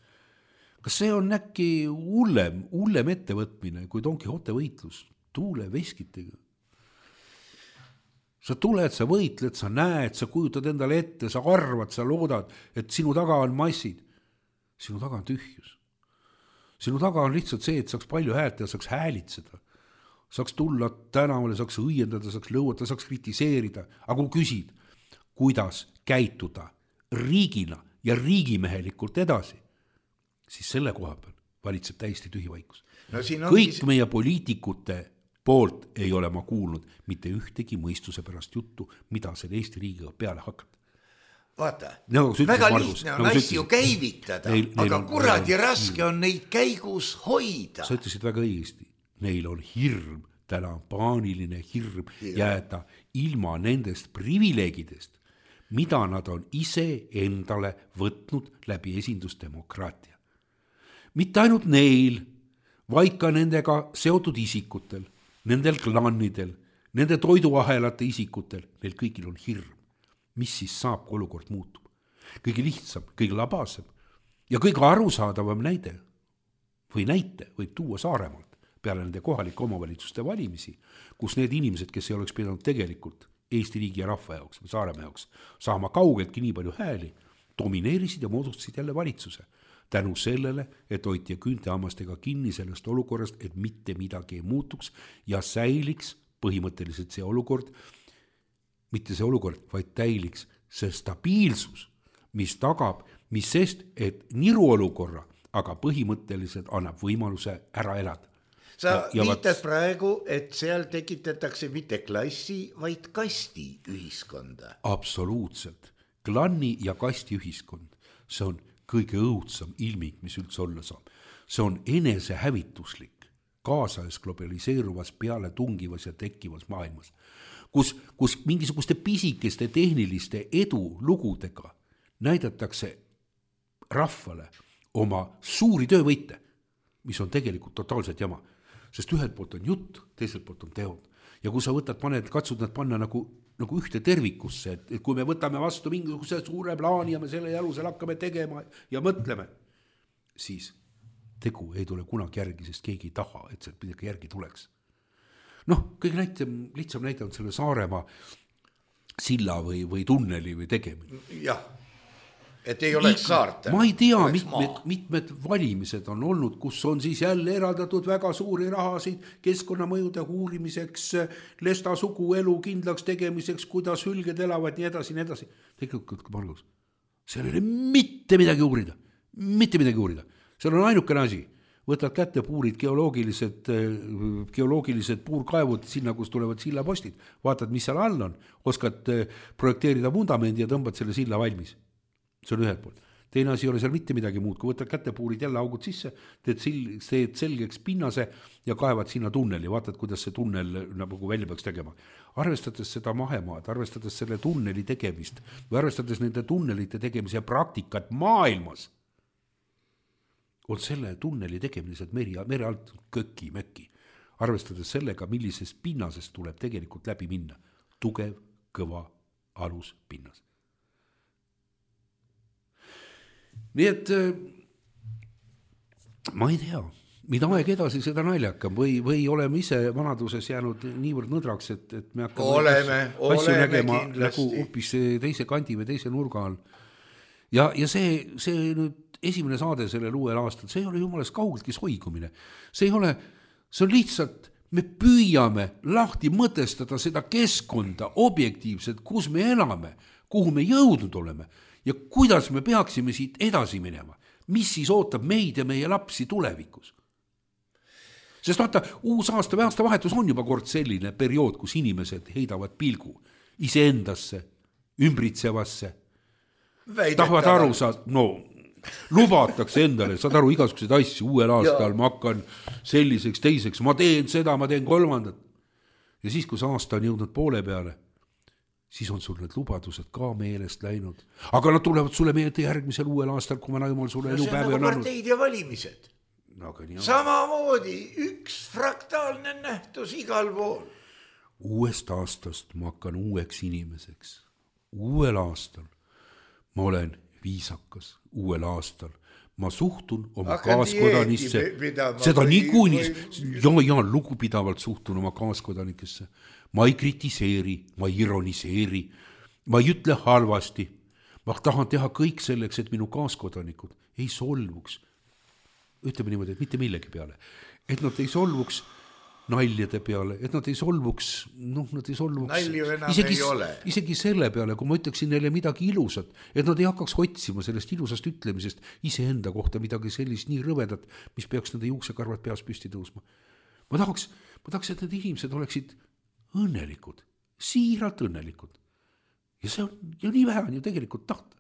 Kas see on äkki hullem, hullem ettevõtmine kui Don Quixote võitlus tuule veskitega? Sa tuled, sa võitled, sa näed, sa kujutad endale ette, sa arvad, sa loodad, et sinu taga on massid. Sinu taga on tühjus. Sinu taga on lihtsalt see, et saaks palju häält ja saaks häälitseda. Saaks tulla tänavale, saaks õiendada, saaks lõuata, saaks kritiseerida. Aga kui küsid, kuidas käituda riigina ja riigimehelikult edasi, siis selle koha peal valitseb täiesti tühi vaikus. No, kõik on... meie poliitikute poolt ei ole ma kuulnud mitte ühtegi mõistuse pärast juttu, mida selle Eesti riigiga peale hakata.
Vaata,
no,
väga
Margus,
lihtne on no, asju käivitada, neil, neil aga on, kuradi neil on, raske on neid käigus hoida.
Sa ütlesid väga õigesti, neil on hirm, täna on paaniline hirm ja. jääda ilma nendest privileegidest, mida nad on ise endale võtnud läbi esindusdemokraatia. Mitte ainult neil, vaid ka nendega seotud isikutel, nendel klannidel, nende toiduahelate isikutel, neil kõigil on hirm. Mis siis saab, kui olukord muutub? Kõige lihtsam, kõige labasem ja kõige arusaadavam näide või näite võib tuua Saaremaalt peale nende kohalike omavalitsuste valimisi, kus need inimesed, kes ei oleks pidanud tegelikult Eesti riigi ja rahva jaoks või Saaremaa jaoks saama kaugeltki nii palju hääli, domineerisid ja moodustasid jälle valitsuse. Tänu sellele, et hoiti küüntehammastega kinni sellest olukorrast, et mitte midagi ei muutuks ja säiliks põhimõtteliselt see olukord, mitte see olukord, vaid täiliks see stabiilsus, mis tagab, mis sest, et niru olukorra, aga põhimõtteliselt annab võimaluse ära elada.
Sa ja, ja viitad vaat... praegu, et seal tekitatakse mitte klassi, vaid kasti ühiskonda.
Absoluutselt. Klanni ja kasti ühiskond. See on kõige õudsam ilming, mis üldse olla saab. See on enesehävituslik, kaasajas globaliseeruvas, peale tungivas ja tekkivas maailmas, kus, kus mingisuguste pisikeste tehniliste edu lugudega näidatakse rahvale oma suuri töövõite, mis on tegelikult totaalselt jama. Sest ühelt poolt on jutt, teiselt poolt on teod. Ja kui sa võtad, paned, katsud nad panna nagu nagu ühte tervikusse, et, et kui me võtame vastu mingisuguse suure plaani ja me selle jalusel hakkame tegema ja mõtleme, siis tegu ei tule kunagi järgi, sest keegi ei taha, et sealt midagi järgi tuleks. Noh, kõige näitem, lihtsam näite on selle Saaremaa silla või, või tunneli või tegemine.
Jah, et ei oleks saarte.
Ma ei tea, mitmed, mitmed valimised on olnud, kus on siis jälle eraldatud väga suuri rahasid keskkonnamõjude uurimiseks, lesta suguelu kindlaks tegemiseks, kuidas hülged elavad, nii edasi, nii edasi. Tegelikult, Margus, seal ei ole mitte midagi uurida, mitte midagi uurida. Seal on ainukene asi, võtad kätte puurid, geoloogilised, geoloogilised puurkaevud sinna, kus tulevad sillapostid, vaatad, mis seal all on, oskad projekteerida vundamendi ja tõmbad selle silla valmis. See on ühelt poolt. teine asi ei ole seal mitte midagi muud, kui võtad kätepuurid jälle augud sisse, teed, sil- teed selgeks pinnase ja kaevad sinna tunneli, vaatad, kuidas see tunnel nagu välja peaks tegema. Arvestades seda mahemaad, arvestades selle tunneli tegemist või arvestades nende tunnelite tegemise praktikat maailmas, on selle tunneli tegemised meri, mere alt köki, möki. Arvestades sellega, millisest pinnasest tuleb tegelikult läbi minna. Tugev, kõva alus pinnas. Nii et ma ei tea, mida aeg edasi seda naljakam või, või oleme ise vanaduses jäänud niivõrd nõdraks, et, et me hakkame
oleme,
asju
oleme
nägema
kindlasti.
nagu hoopis teise kandi või teise nurga all. Ja, ja see, see nüüd esimene saade sellel uuel aastal, see ei ole jumalast kaugeltki soigumine. See ei ole, see on lihtsalt, me püüame lahti mõtestada seda keskkonda objektiivselt, kus me elame, kuhu me jõudnud oleme ja kuidas me peaksime siit edasi minema. Mis siis ootab meid ja meie lapsi tulevikus? Sest vaata, uus aasta või aasta vahetus on juba kord selline periood, kus inimesed heidavad pilgu iseendasse, ümbritsevasse, tahavad aru saada, no lubatakse endale, saad aru, igasuguseid asju uuel aastal, ma hakkan selliseks, teiseks, ma teen seda, ma teen kolmandat. Ja siis, kui see aasta on jõudnud poole peale, siis on sul need lubadused ka meelest läinud. Aga nad tulevad sulle meelde järgmisel uuel aastal, kui ma jumal sulle
no,
elupäevi
on
nagu
parteid ja valimised.
No,
samamoodi üks fraktaalne nähtus igal pool.
Uuest aastast ma hakkan uueks inimeseks. Uuel aastal ma olen viisakas, uuel aastal. Ma suhtun oma
Hakkan
kaaskodanisse, seda
või,
niikuinii,
või...
ja, ja lugupidavalt suhtun oma kaaskodanikesse. Ma ei kritiseeri, ma ei ironiseeri, ma ei ütle halvasti. Ma tahan teha kõik selleks, et minu kaaskoodanikud ei solvuks. Ütleme niimoodi, et mitte millegi peale. Et nad ei solvuks naljade peale, et nad ei solvuks, noh, nad ei solvuks.
Nalju enam
isegi,
ei ole.
Isegi selle peale, kui ma ütleksin neile midagi ilusat, et nad ei hakkaks otsima sellest ilusast ütlemisest iseenda kohta midagi sellist nii rõvedat, mis peaks nende juuksekarvad peas püsti tõusma. Ma tahaks, ma tahaks, et need inimesed oleksid õnnelikud, siiralt õnnelikud. Ja see on, ja nii vähe on ju tegelikult tahta.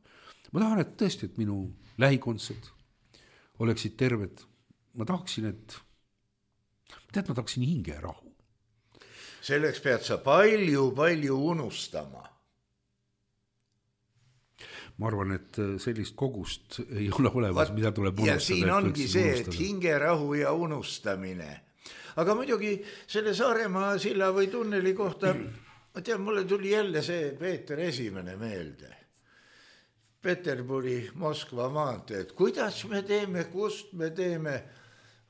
Ma tahan, et tõesti, et minu lähikondsed oleksid terved. Ma tahaksin, et tead, ma tahaksin hinge rahu.
Selleks pead sa palju, palju unustama.
Ma arvan, et sellist kogust ei ole olemas, mida tuleb unustada.
Ja siin ongi see, et hinge rahu ja unustamine. Aga muidugi selle Saaremaa silla või tunneli kohta, ma tean, mulle tuli jälle see Peeter Esimene meelde. Peterburi, Moskva maantee, et kuidas me teeme, kust me teeme,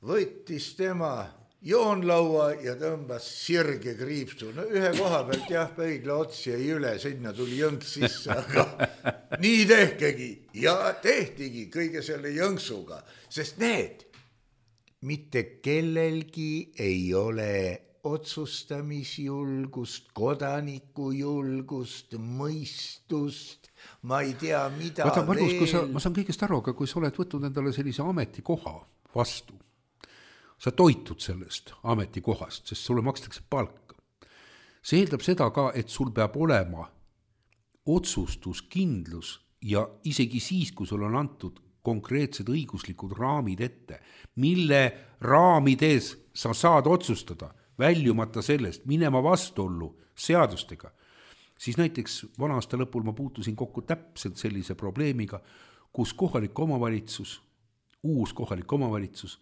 võttis tema joonlaua ja tõmbas sirge kriipsu. No ühe koha pealt jah, pöidla otsi jäi üle, sinna tuli jõnks sisse, aga nii tehkegi ja tehtigi kõige selle jõnksuga, sest need mitte kellelgi ei ole otsustamisjulgust, kodanikujulgust, mõistust, ma ei tea, mida
Vaata, Margus,
veel.
Kui sa, ma saan kõigest aru, aga kui sa oled võtnud endale sellise ametikoha vastu, sa toitud sellest ametikohast, sest sulle makstakse palka. See eeldab seda ka, et sul peab olema otsustuskindlus ja isegi siis, kui sul on antud konkreetsed õiguslikud raamid ette, mille raamides sa saad otsustada, väljumata sellest, minema vastuollu seadustega, siis näiteks vana aasta lõpul ma puutusin kokku täpselt sellise probleemiga, kus kohalik omavalitsus, uus kohalik omavalitsus,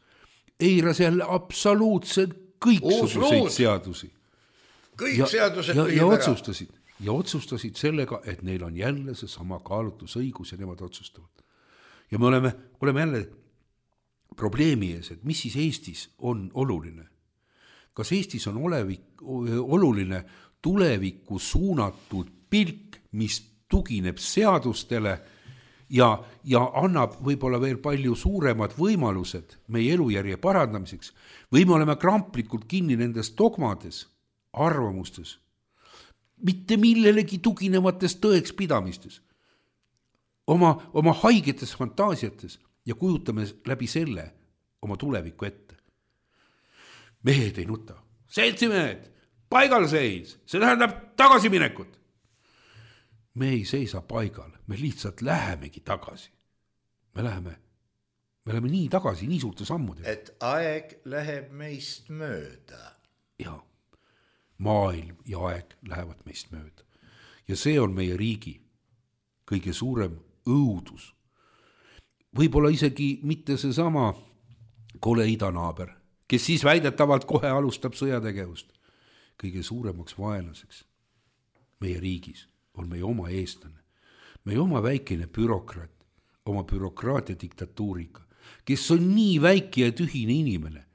eiras jälle absoluutselt kõiksuguseid seadusi.
Kõik
ja,
seadused
ja, ja otsustasid, ja otsustasid sellega, et neil on jälle see sama kaalutlusõigus ja nemad otsustavad. Ja me oleme, oleme jälle probleemi ees, et mis siis Eestis on oluline. Kas Eestis on olevik, oluline tulevikku suunatud pilk, mis tugineb seadustele ja, ja annab võib-olla veel palju suuremad võimalused meie elujärje parandamiseks, või me oleme kramplikult kinni nendes dogmades, arvamustes, mitte millelegi tuginevates tõekspidamistes, oma, oma haigetes fantaasiates ja kujutame läbi selle oma tulevikku ette. Mehed ei nuta, seltsimehed, paigal seis, see tähendab tagasiminekut. Me ei seisa paigal, me lihtsalt lähemegi tagasi. me läheme, me läheme nii tagasi, nii suurte sammudega.
Et aeg läheb meist mööda.
Ja maailm ja aeg lähevad meist mööda. Ja see on meie riigi kõige suurem õudus. Võib-olla isegi mitte see sama kole idanaaber, kes siis väidetavalt kohe alustab sõjategevust. Kõige suuremaks vaenlaseks meie riigis on meie oma eestlane, meie oma väikene bürokraat, oma bürokraatia diktatuuriga, kes on nii väike ja tühine inimene,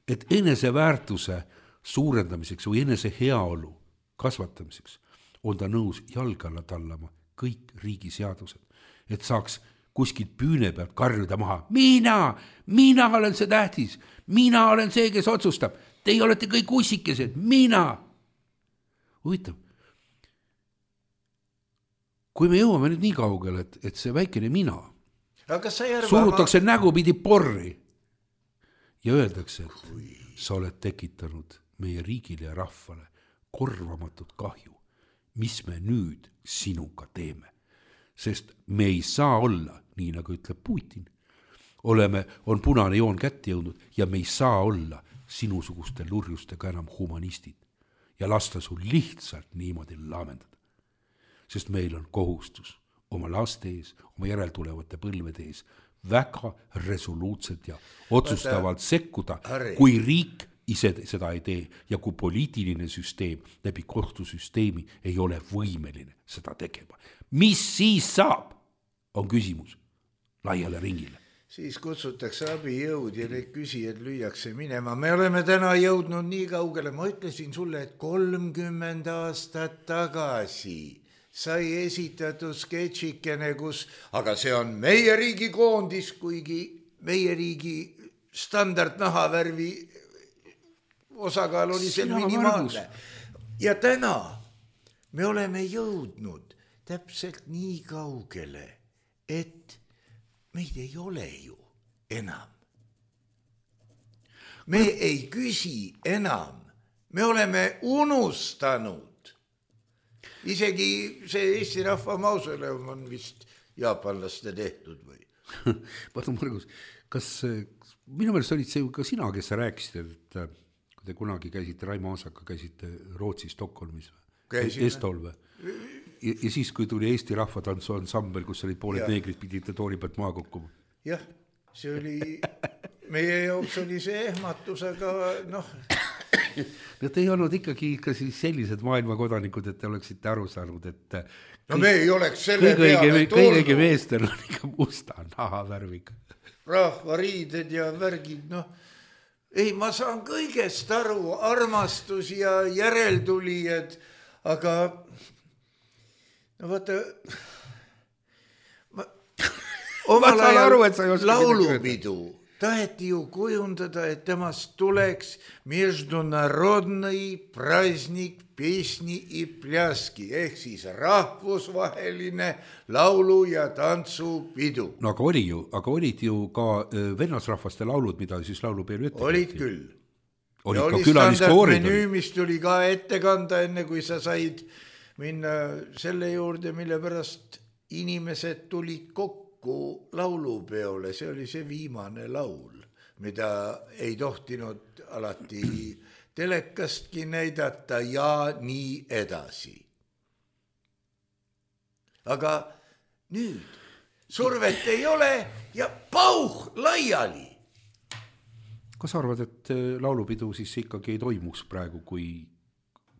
et eneseväärtuse suurendamiseks või enese heaolu kasvatamiseks on ta nõus jalga alla tallama kõik riigiseadused, et saaks kuskilt püüne pealt karjuda maha. Mina, mina olen see tähtis, mina olen see, kes otsustab. Teie olete kõik ussikesed, mina. Huvitav. Kui me jõuame nüüd nii kaugele, et, et see väikene mina surutakse ma... nägupidi porri ja öeldakse, et Kui... sa oled tekitanud meie riigile ja rahvale korvamatut kahju, mis me nüüd sinuga teeme. Sest me ei saa olla, nii nagu ütleb Putin, oleme, on punane joon kätte jõudnud ja me ei saa olla sinusuguste lurjustega enam humanistid ja lasta sul lihtsalt niimoodi laamendada. Sest meil on kohustus oma laste ees, oma järeltulevate põlvede ees väga resoluutselt ja otsustavalt Võtta, sekkuda, Harri. Kui riik ise seda ei tee ja kui poliitiline süsteem läbi kohtusüsteemi ei ole võimeline seda tegema. Mis siis saab, on küsimus laiale ringile.
Siis kutsutakse abijõud ja need küsijad lüüakse minema. Me oleme täna jõudnud nii kaugele. Ma ütlesin sulle, et kolmkümmend aastat tagasi sai esitatud sketšikene, kus, aga see on meie riigi koondis, kuigi meie riigi standard nahavärvi osakaal oli seal minimaalne. Ja täna me oleme jõudnud täpselt nii kaugele, et meid ei ole ju enam. Me ei küsi enam. Me oleme unustanud. Isegi see Eesti Rahva mausoleum on vist jaapanlaste tehtud või?
Vaata, Margus, kas minu meelest olid see ka sina, kes sa rääkisid, et kui te kunagi käisite, Raimo Aasaka käisite Rootsi Stockholmis või? Estol või? Ja, ja siis, kui tuli Eesti Rahvatantsu ansambel, kus olid pooled ja. Neegrid, pidite tooli pealt maa kokkuma.
Jah, see oli, meie jaoks oli see ehmatus, aga noh.
No te ei olnud ikkagi ikka sellised maailmakodanikud, et te oleksite aru saanud, et
no me ei oleks selle peale
tulnud. Kõige meestel on ikka musta nahavärviga.
Rahvariided ja värgid, noh. Ei, ma saan kõigest aru, armastus ja järeltulijad, aga no vaata, ma, omal ajal laulupidu taheti ju kujundada, et temast tuleks международный праздник песни и пляски, ehk siis rahvusvaheline laulu- ja tantsupidu.
No aga oli ju, aga olid ju ka vennasrahvaste laulud, mida siis laulupeelu ette.
Olid küll.
Olid
ja
ka
oli standardmenüü, mis tuli ka ette kanda, enne kui sa said minna selle juurde, mille pärast inimesed tulid kokku laulupeole, see oli see viimane laul, mida ei tohtinud alati telekastki näidata ja nii edasi. Aga nüüd survet ei ole ja pauh laiali.
Kas arvad, et laulupidu siis ikkagi ei toimuks praegu, kui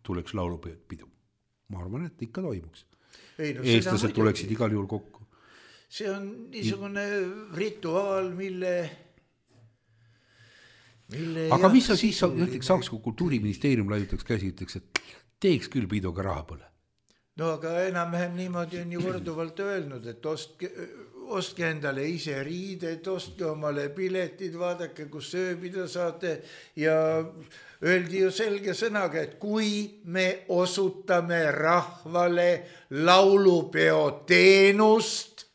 tuleks laulupidu? Ma arvan, et ikka toimuks. Ei, no eestlased tuleksid igal juhul kokku.
See on niisugune rituaal, mille... mille
aga mis sa siis ütleks, saaks, kui Kultuuriministeerium laiutaks käsi, ütleks, et teeks küll piduga raha pole?
No aga enam-vähem niimoodi on ju korduvalt öelnud, et ostke, ostke endale ise riided, ostke omale piletid, vaadake, kus sööbida saate ja öeldi ju selge sõnaga, et kui me osutame rahvale laulupeo teenust,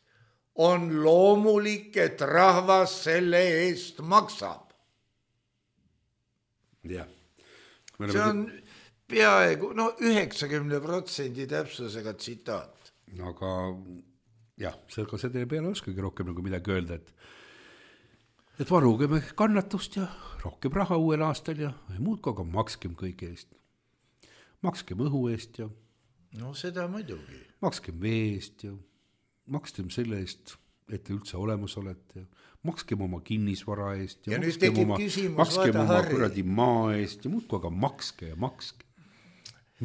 on loomulik, et rahvas selle eest maksab.
Ja.
See on peaaegu, no üheksakümne protsendi täpsusega tsitaat.
Aga jah, sellega selle peale oskagi rohkem nagu midagi öelda, et et varugeme kannatust ja rohkem raha uuel aastal ja muudku, aga makskem kõige eest. Makskem õhu eest ja
no seda muidugi.
Makskem vee eest ja makskem selle eest, et te üldse olemas olete ja makskem oma kinnisvara eest ja,
ja
makskem oma,
küsimus,
makskem oma kuradi maa eest ja muudku, aga makske ja makske.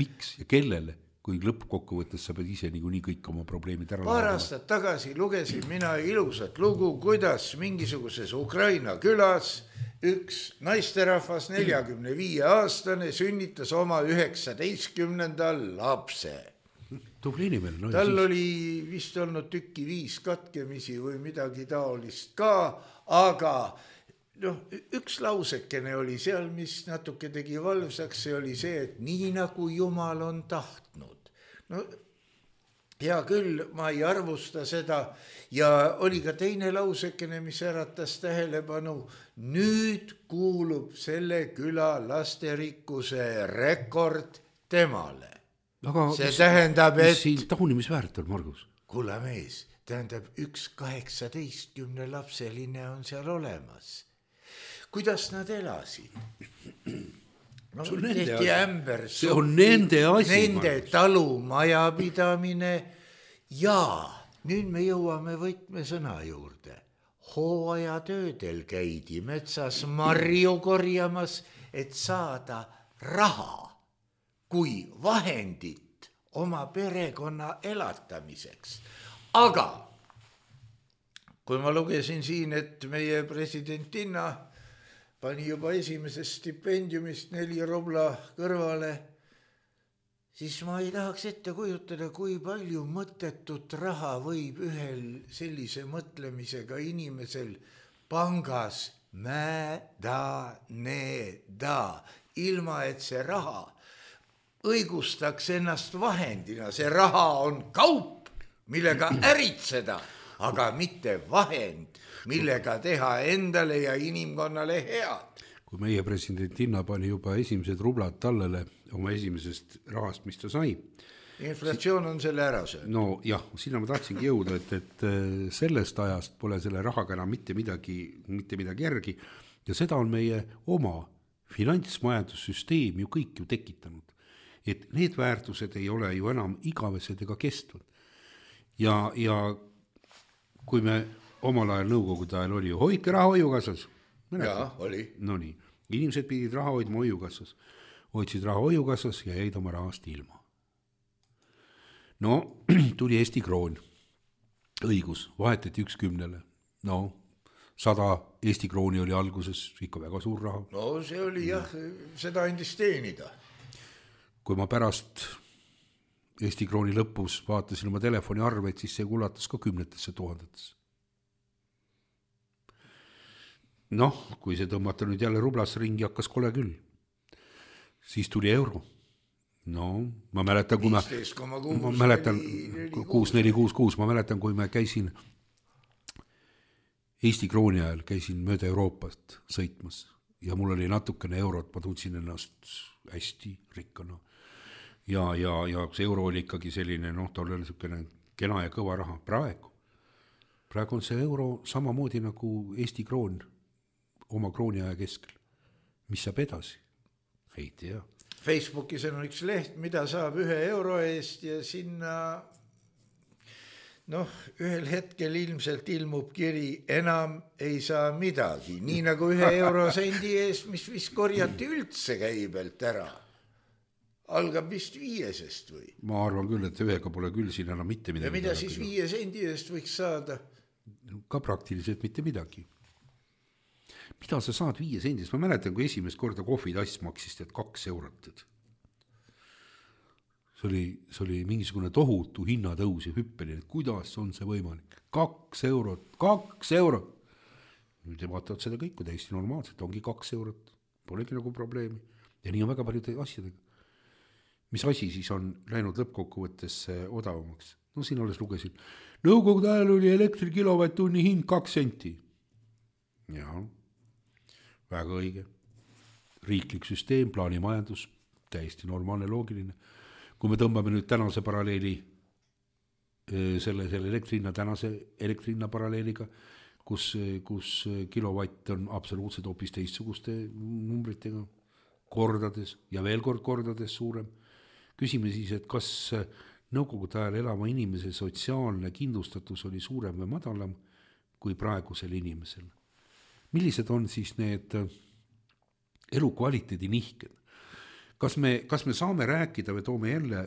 Miks ja kellele? Kui lõppkokkuvõttes sa pead ise niikuinii kõik oma probleemid ära
paar aastat tagasi lugesin mina ilusat lugu, kuidas mingisuguses Ukraina külas üks naisterahvas neljakümne viie aastane sünnitas oma üheksateistkümnendal lapse.
Tubli inimene. No,
tal siis oli vist olnud tükki viis katkemisi või midagi taolist ka, aga no, üks lausekene oli seal, mis natuke tegi valvsaks, see oli see, et nii nagu Jumal on tahtnud. No, hea küll, ma ei arvusta seda ja oli ka teine lausekene, mis äratas tähelepanu. Nüüd kuulub selle küla lasterikkuse rekord temale.
Aga
see
mis,
tähendab, et...
Mis siin taunimisväärt on, Margus?
Kuule mees, tähendab, üks kaheksateistkümne lapseline on seal olemas. Kuidas nad elasid? No, tehti ämber,
see on nende asi.
Nende talumajapidamine ja nüüd me jõuame võtmesõna juurde. Hooajatöödel käidi metsas marju korjamas, et saada raha kui vahendit oma perekonna elatamiseks. Aga kui ma lugesin siin, et meie presidentinna pani juba esimesest stipendiumist neli rubla kõrvale, siis ma ei tahaks ette kujutada, kui palju mõttetut raha võib ühel sellise mõtlemisega inimesel pangas mädaneda, ilma et see raha õigustaks ennast vahendina. See raha on kaup, millega äritseda, aga mitte vahend, millega teha endale ja inimkonnale head.
Kui meie presidentinna pani juba esimesed rublad tallele oma esimesest rahast, mis ta sai.
Inflatsioon on selle ära söönud.
No jah, sinna ma tahtsingi jõuda, et, et sellest ajast pole selle rahaga enam mitte midagi, mitte midagi järgi ja seda on meie oma finantsmajandussüsteem ju kõik ju tekitanud. Et need väärtused ei ole ju enam igavesed ega kestvad. Ja, ja kui me omal ajal nõukogude ajal oli ju hoidke raha hoiukassas.
Jaa, oli.
No nii, inimesed pidid raha hoidma hoiukassas. Hoidsid raha hoiukassas ja jäid oma rahast ilma. No, tuli Eesti kroon. Õigus, vahetati üks kümnele. No, sada Eesti krooni oli alguses ikka väga suur raha.
No see oli jah, seda andis teenida.
Kui ma pärast Eesti krooni lõpus vaatasin oma telefoni arveid, siis see kulatas ka kümnetesse tuhandetesse. Noh, kui see tõmmata nüüd jälle rublas ringi hakkas kole küll. Siis tuli euro. No, ma mäletan, kui ma, ma mäletan, kuus neli kuus kuus, ma mäletan, kui ma käisin Eesti krooni ajal, käisin mööda Euroopast sõitmas ja mul oli natukene eurot, ma tundsin ennast hästi rikkana. Ja, ja, ja see euro oli ikkagi selline, noh, ta oli selline kena ja kõva raha. Praegu, praegu on see euro samamoodi nagu Eesti kroon oma krooni aja keskel. Mis saab edasi? Ei tea.
Facebookis on üks leht, mida saab ühe euro eest ja sinna noh, ühel hetkel ilmselt ilmub kiri, enam ei saa midagi. Nii nagu ühe eurosendi eest, mis vist korjati üldse käibelt ära. Algab vist viiesest või?
Ma arvan küll, et ühega pole küll siin enam mitte midagi.
Ja mida siis viie sendi eest võiks saada?
Ka praktiliselt mitte midagi. Mida sa saad viie sendist? Ma mäletan, kui esimest korda kohvitass maksis, et kaks eurot. See oli, see oli mingisugune tohutu hinnatõus ja hüppeline. Kuidas on see võimalik? Kaks eurot, kaks eurot. Nüüd vaatavad seda kõik, kui täiesti normaalselt ongi kaks eurot. Polegi nagu probleemi. Ja nii on väga paljude asjadega. Mis asi siis on läinud lõppkokkuvõttes odavamaks? No siin alles lugesin. Nõukogude ajal oli elektri kilovatt-tunni hind kaks senti. Jaa. Väga õige. Riiklik süsteem, plaanimajandus, täiesti normaalne, loogiline. Kui me tõmbame nüüd tänase paralleeli selle, selle elektrihinna tänase elektrihinna paralleeliga, kus, kus kilovatt on absoluutselt hoopis teistsuguste numbritega, kordades ja veel kord kordades suurem. Küsime siis, et kas nõukogude ajal elava inimese sotsiaalne kindlustatus oli suurem või madalam kui praegusel inimesel. Millised on siis need elukvaliteedi nihked? Kas me, kas me saame rääkida või toome jälle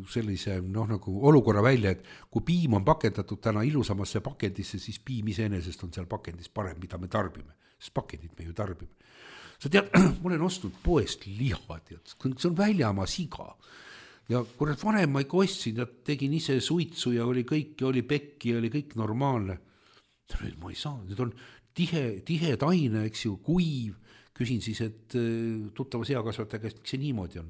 sellise noh, nagu olukorra välja, et kui piim on pakendatud täna ilusamasse pakendisse, siis piim iseenesest on seal pakendis parem, mida me tarbime. Sest pakendit me ju tarbime. Sa tead, ma olen ostnud poest liha, tead, see on väljamaa siga. Ja kurat vanem ma ikka ostsin, ja tegin ise suitsu ja oli kõik, ja oli pekki ja oli kõik normaalne. Nüüd ma ei saa, nüüd on tihe, tihe taine, eks ju, kuiv. Küsin siis, et tuttava seakasvataja käest, miks see niimoodi on.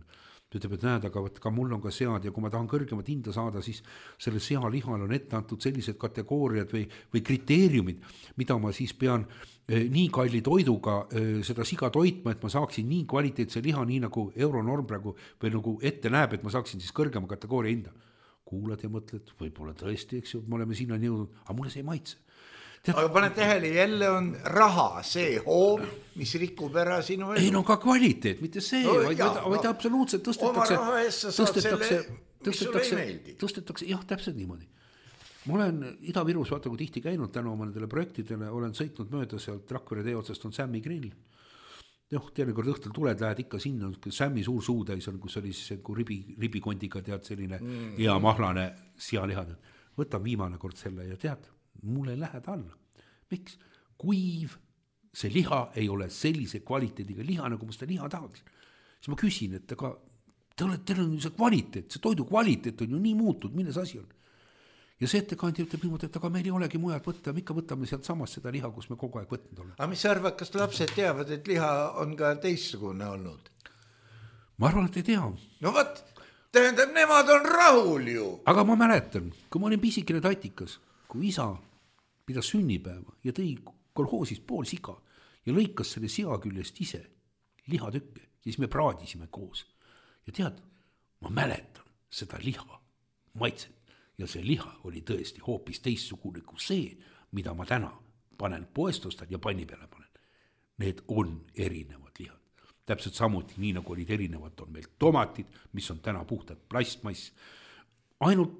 Ta ütleb, et näed, aga ka mul on ka sead ja kui ma tahan kõrgemat hinda saada, siis selle sealihal on ette antud sellised kategooriad või, või kriteeriumid, mida ma siis pean nii kalli toiduga seda siga toitma, et ma saaksin nii kvaliteetse liha, nii nagu euronorm praegu või nagu ette näeb, et ma saaksin siis kõrgema kategooria hinda. Kuulad ja mõtled, võib-olla tõesti, eks ju, me oleme sinna jõudnud, aga mulle see ei maitse.
Tead, aga pane tähele, jälle on raha, see hoov, mis rikub ära sinu elu.
Ei no ka kvaliteet, mitte see, no, vaid, jah, vaid no, absoluutselt tõstetakse,
oma raha eest sa saad
tõstetakse,
selle, mis sulle ei meeldi.
Tõstetakse, jah, täpselt niimoodi. Ma olen Ida-Virus, vaata kui tihti käinud tänu oma nendele projektidele, olen sõitnud mööda sealt Rakvere tee otsast on Sämmi grill. Joh, teinekord õhtul tuled, lähed ikka sinna, Sämmi suur suutäis on, kus oli siis ribi, ribikondiga tead selline mm. hea mahlane sealihad. Võtan viimane kord selle ja tead, mulle ei lähe alla. Miks? Kuiv, see liha ei ole sellise kvaliteediga liha, nagu ma seda liha tahaks. Siis ma küsin, et aga te olete, teil on see kvaliteet, see toidu kvaliteet on ju nii muutud, milles asi on. Ja see ettekandja ütleb niimoodi, et aga meil ei olegi mujalt võtta, me ikka võtame sealt samast seda liha, kus me kogu aeg võtnud oleme.
Aga mis sa arvad, kas lapsed teavad, et liha on ka teistsugune olnud?
Ma arvan, et ei tea.
No võt, tähendab, nemad on rahul ju.
Aga ma mäletan, kui ma olin pisikene tatikas, kui isa pidas sünnipäeva ja tõi kolhoosist pool siga ja lõikas selle sea küljest ise lihatükke, siis me praadisime koos. Ja tead, ma mäletan seda liha maitset ja see liha oli tõesti hoopis teistsugune kui see, mida ma täna panen poestostan ja panni peale panen. Need on erinevad lihad. Täpselt samuti, nii nagu olid erinevad, on meil tomatid, mis on täna puhtad plastmass. Ainult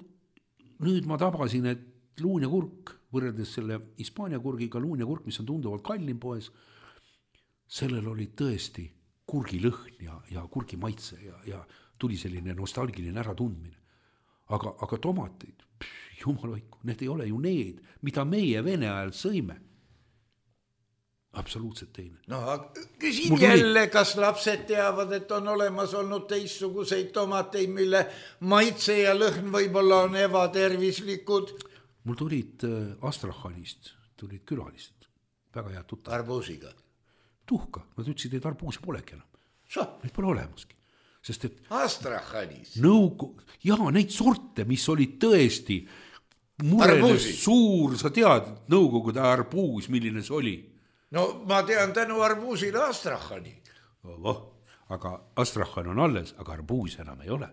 nüüd ma tabasin, et luun ja kurk, võrreldes selle Hispaania kurgiga luun ja kurk, mis on tunduvalt kallim poes, sellel oli tõesti kurgilõhn ja, ja kurgi maitse ja, ja tuli selline nostalgiline äratundmine. Aga, aga tomateid, pff, jumaloiku, need ei ole ju need, mida meie Vene ajal sõime. Absoluutselt teine.
No, küsin Mul jälle, tuli... kas lapsed teavad, et on olemas olnud teistsuguseid tomateid, mille maitse ja lõhn võib-olla on ebatervislikud.
Mul tulid Astrachanist, tulid külalised, väga head tuttav.
Arbuusiga?
Tuhka, nad ütlesid, et arbuusi polegi enam. Sa? Neid pole olemaski. Sest et
Astrachanis?
Nõugu... Jaa, neid sorte, mis olid tõesti murenes suur, sa tead, nõukogude arbuus, milline see oli?
No ma tean tänu arbuusile Astrachani.
Oh, aga Astrachan on alles, aga arbuus enam ei ole.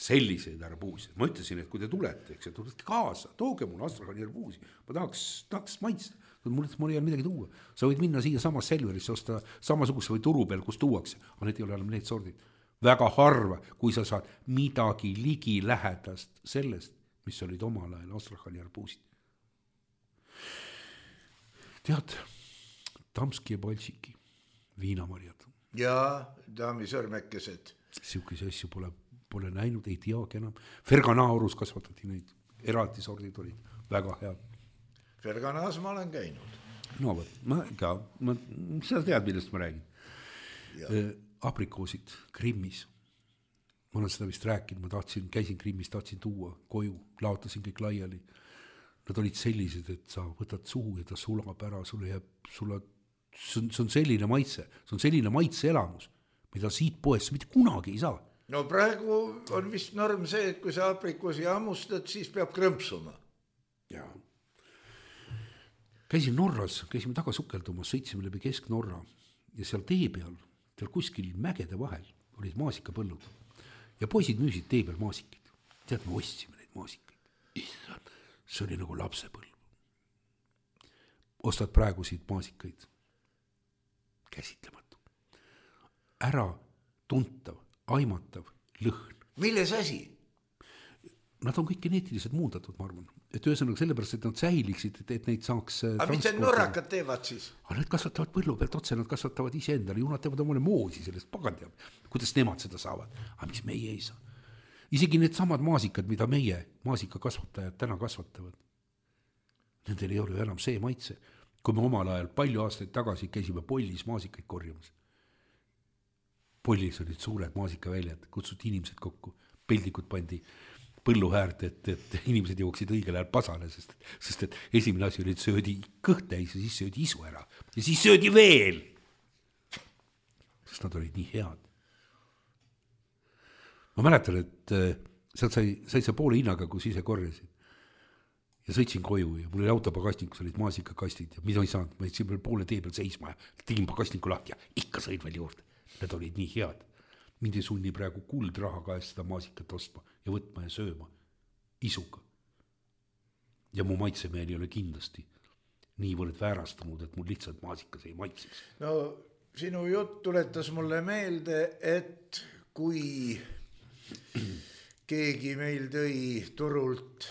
Selliseid arbuusi. Ma ütlesin, et kui te tulete, eks, et tulete kaasa, tooge mul Astrachani arbuusi. Ma tahaks, tahaks maitsta. Mul, mul ei ole midagi tuua. Sa võid minna siia samas Selverisse, osta samasuguse või turu peal, kus tuuakse. Aga need ei ole enam need sordid. Väga harva, kui sa saad midagi ligi lähedast sellest, mis olid omal ajal Astrachani arbuusid. Tead, Tamski ja Balsiki, viinamarjad.
Jaa, daami sõrmekesed.
Siukese asju pole pole näinud, ei teagi enam. Ferganaurus kasvatati neid, eraldi sordid olid, väga head.
Ferganaas ma olen käinud.
No võt, ma ka, ma, sa tead, millest ma räägin. Äh, aprikoosid Krimmis. Ma olen seda vist rääkinud, ma tahtsin, käisin Krimmis, tahtsin tuua koju, laotasin kõik laiali. Nad olid sellised, et sa võtad suhu ja ta sulab ära, sulle jääb, sulle, see on, see on selline maitse, see on selline maitse elamus, mida siit poest mitte kunagi ei saa.
No praegu on vist norm see, et kui sa aprikoosi hammustad, siis peab krõmpsuma.
Jaa. Käisin Norras, käisime taga sukeldumas, sõitsime läbi Kesk-Norra ja seal tee peal, seal kuskil mägede vahel olid maasikapõllud ja poisid müüsid tee peal maasikid. Tead, me ostsime neid maasikaid. Issand, see oli nagu lapsepõlv. Ostad praegu siit maasikaid. Käsitlematu. Ära tuntav, aimatav lõhn.
Milles asi?
Nad on kõik geneetiliselt muundatud, ma arvan. Et ühesõnaga sellepärast, et nad säiliksid, et, et neid saaks
aga mis need norrakad teevad siis?
Aga need kasvatavad põllu pealt otse, nad kasvatavad ise endale, ju nad teevad omale moosi sellest, pagan teab, kuidas nemad seda saavad. Aga mis meie ei saa? Isegi need samad maasikad, mida meie maasikakasvatajad täna kasvatavad, nendel ei ole enam see maitse. Kui me omal ajal palju aastaid tagasi käisime Pollis maasikaid korjamas. Pollis olid suured maasikaväljad, kutsuti inimesed kokku, peldikud pandi põlluhäärt, et, et inimesed jooksid õigel ajal pasale, sest, sest et esimene asi oli, et söödi kõht täis ja siis söödi isu ära. Ja siis söödi veel. Sest nad olid nii head. Ma mäletan, et sealt sai, sai see poole hinnaga, kus ise korjasin. Ja sõitsin koju ja mul oli autopagasnikus olid maasikakastid ja mida ei saanud. Ma jätsin veel poole tee peal seisma ja tegin pagasniku lahti ja ikka sõid veel juurde. Need olid nii head. Mind ei sunni praegu kuld raha käest seda maasikat ostma ja võtma ja sööma isuga. Ja mu maitsemeel ei ole kindlasti niivõrd väärastunud, et mul lihtsalt maasikas ei maitseks.
No sinu jutt tuletas mulle meelde, et kui keegi meil tõi turult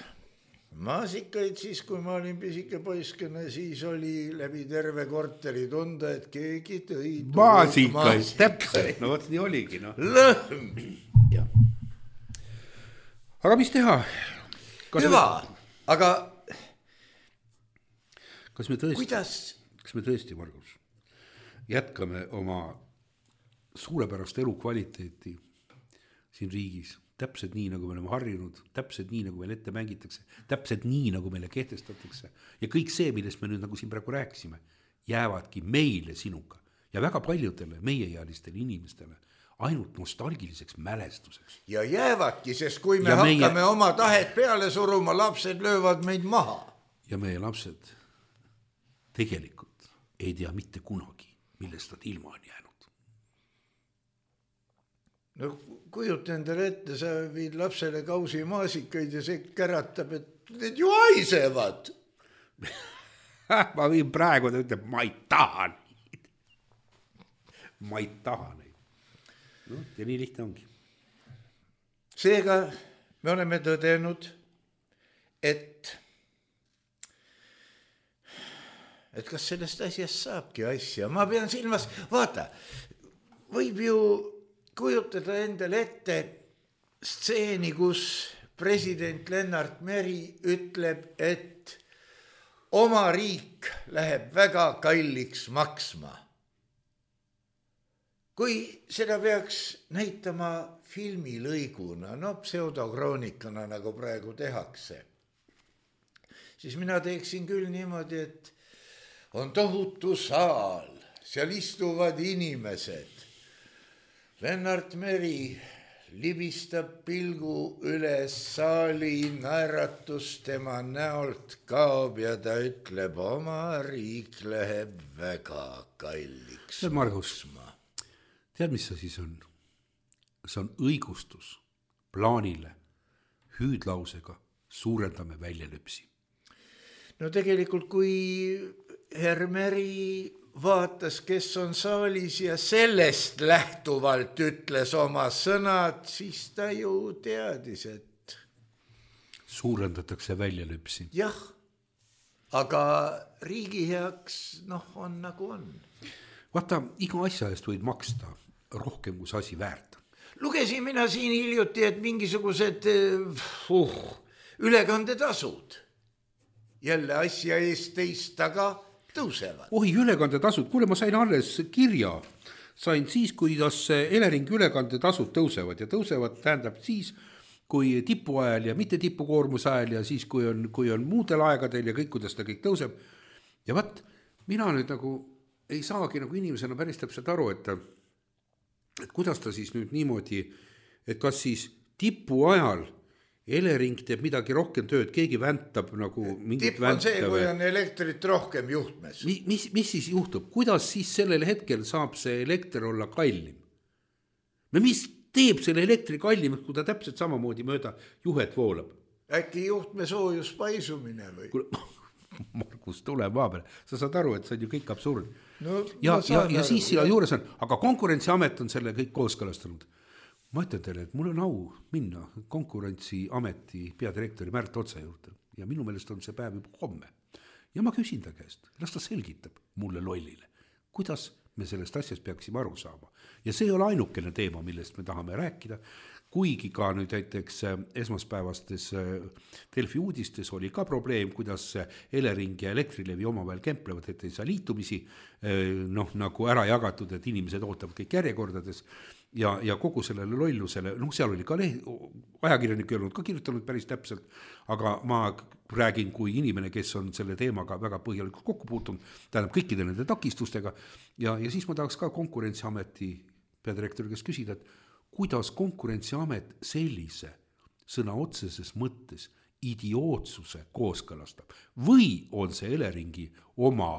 maasikaid, siis kui ma olin pisike poiskene, siis oli läbi terve korteri tunda, et keegi tõi
maasikaid, täpselt, no võt nii oligi, no.
Lõhm!
Ja. Aga mis teha? Kas
Hüva, me... aga
kas me tõesti,
kuidas?
Kas me tõesti, Margus, jätkame oma suurepärast elukvaliteeti siin riigis? Täpselt nii, nagu me oleme harjunud, täpselt nii, nagu meil ette mängitakse, täpselt nii, nagu meile kehtestatakse. Ja kõik see, millest me nüüd nagu siin praegu rääkisime, jäävadki meile sinuga ja väga paljudele meieealistele inimestele ainult nostalgiliseks mälestuseks.
Ja jäävadki, sest kui me ja hakkame meie... oma tahet peale suruma, lapsed löövad meid maha.
Ja meie lapsed tegelikult ei tea mitte kunagi, millest nad ilma on jäänud.
No kujuta endale ette, sa viid lapsele kausi maasikaid ja see käratab, et need ju haisevad.
Ma viin praegu, ta ütleb, ma ei taha neid. Ma ei taha neid. No, ja nii lihtne ongi.
Seega me oleme tõdenud, et et kas sellest asjast saabki asja. Ma pean silmas, vaata, võib ju kujutada endale ette stseeni, kus president Lennart Meri ütleb, et oma riik läheb väga kalliks maksma. Kui seda peaks näitama filmilõiguna, no pseudokraonikana, nagu praegu tehakse, siis mina teeksin küll niimoodi, et on tohutu saal, seal istuvad inimesed. Lennart Meri libistab pilgu üles saali, naeratus tema näolt kaob ja ta ütleb, oma riik läheb väga kalliks.
See Margus, tead, mis see siis on? See on õigustus plaanile hüüdlausega suurendame väljalüpsi.
No tegelikult, kui Herr Meri vaatas, kes on saalis ja sellest lähtuvalt ütles oma sõnad, siis ta ju teadis, et
suurendatakse väljalüpsi.
Jah, aga riigi heaks, noh, on nagu on.
Vaata, iga asja eest võid maksta rohkem, kui see asi väärt on.
Lugesin mina siin hiljuti, et mingisugused uh, ülekandetasud jälle asja eest teist taga tõusevad.
Ohi, ülekandetasud, kuule, ma sain alles kirja, sain siis, kuidas Elering ülekandetasud tõusevad ja tõusevad tähendab siis, kui tipu ajal ja mitte tipukoormuse ajal ja siis, kui on, kui on muudel aegadel ja kõik, kuidas ta kõik tõuseb. Ja vaat, mina nüüd nagu ei saagi nagu inimesena päris täpselt aru, et, et kuidas ta siis nüüd niimoodi, et kas siis tipu ajal Elering teeb midagi rohkem tööd, keegi väntab nagu mingit
tipp on see, kui on elektrit rohkem juhtmes.
Mis, mis, mis siis juhtub? Kuidas siis sellel hetkel saab see elekter olla kallim? No mis teeb selle elektri kallim, kui ta täpselt samamoodi mööda juhet voolab?
äkki juhtme soojus paisumine või?
Margus, tule maa peale. Sa saad aru, et see on ju kõik absurd.
No,
ja, ja, ja siis sina juures on, aga Konkurentsiamet on selle kõik kooskõlastanud. Ma ütlen teile, et mul on au minna Konkurentsiameti peadirektori Märt Otsa juurde ja minu meelest on see päev juba homme. Ja ma küsin ta käest, las ta selgitab mulle lollile, kuidas me sellest asjast peaksime aru saama. Ja see ei ole ainukene teema, millest me tahame rääkida, kuigi ka nüüd näiteks esmaspäevastes Delfi uudistes oli ka probleem, kuidas Elering ja Elektrilevi omavahel kemplevad, et ei saa liitumisi noh, nagu ära jagatud, et inimesed ootavad kõik järjekordades ja, ja kogu sellele lollusele, noh seal oli ka leht, ajakirjanik ei olnud ka kirjutanud päris täpselt, aga ma räägin kui inimene, kes on selle teemaga väga põhjalikult kokku puutunud, tähendab kõikide nende takistustega ja, ja siis ma tahaks ka Konkurentsiameti peadirektori kes küsida, et kuidas Konkurentsiamet sellise sõna otseses mõttes idiootsuse kooskõlastab või on see Eleringi oma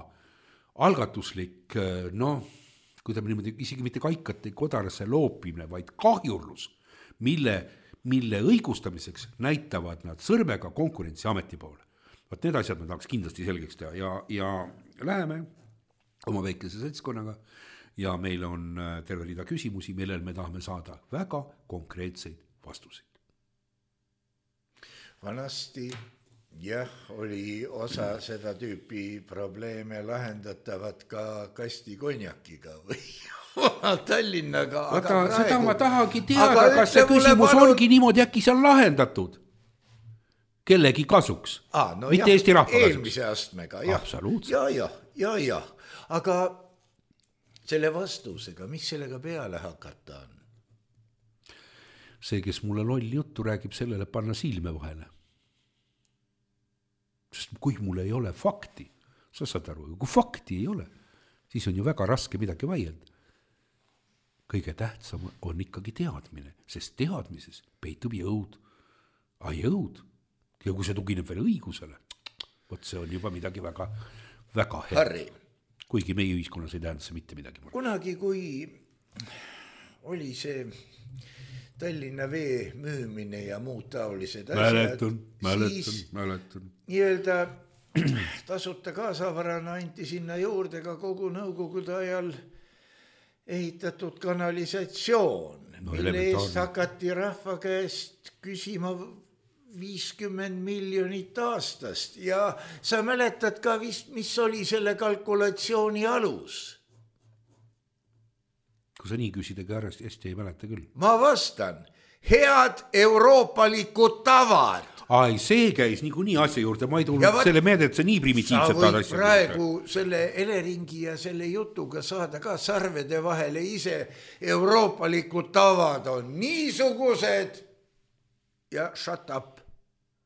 algatuslik, noh, kui ta niimoodi isegi mitte kaikate kodarasse loopimine, vaid kahjurlus, mille, mille õigustamiseks näitavad nad sõrmega Konkurentsiameti poole. Vaat need asjad me tahaks kindlasti selgeks teha ja, ja läheme oma väikese seltskonnaga ja meil on terve rida küsimusi, millel me tahame saada väga konkreetseid vastuseid.
Vanasti jah, oli osa seda tüüpi probleeme lahendatavad ka kasti konjakiga või Tallinnaga.
Vaata, praegu... seda ma tahagi teada, kas see küsimus palun... ongi niimoodi äkki seal lahendatud kellegi kasuks,
ah, no
mitte
jah,
Eesti rahva
eelmise kasuks. Astmega, jah.
Absoluutselt.
Ja, ja, ja, ja. Aga selle vastusega, mis sellega peale hakata on?
See, kes mulle lolli juttu räägib, sellele panna silme vahele. Sest kui mul ei ole fakti, sa saad aru, kui fakti ei ole, siis on ju väga raske midagi vaielda. Kõige tähtsam on ikkagi teadmine, sest teadmises peitub jõud. A jõud, ja kui see tugineb veel õigusele, võt see on juba midagi väga, väga hea.
Harri.
Kuigi meie ühiskonnas ei tähenda see mitte midagi.
Kunagi, kui oli see Tallinna vee müümine ja muud taolised asjad,
mäletan, mäletan,
siis
mäletan.
Nii-öelda tasuta kaasavarana anti sinna juurde ka kogu nõukogude ajal ehitatud kanalisatsioon, no, mille eest hakati rahva käest küsima viiskümmend miljonit aastast ja sa mäletad ka vist, mis oli selle kalkulatsiooni alus?
Kui sa nii küsidagi hästi, hästi ei mäleta küll.
Ma vastan, head euroopalikud tavad.
Ai, see käis nii, nii asja juurde, ma ei tulnud vaat, selle meelde, et see nii primitiivset
taad asja. Sa võid praegu juurde. Selle Eleringi ja selle jutuga saada ka sarvede vahele ise euroopalikud tavad on niisugused ja shut up.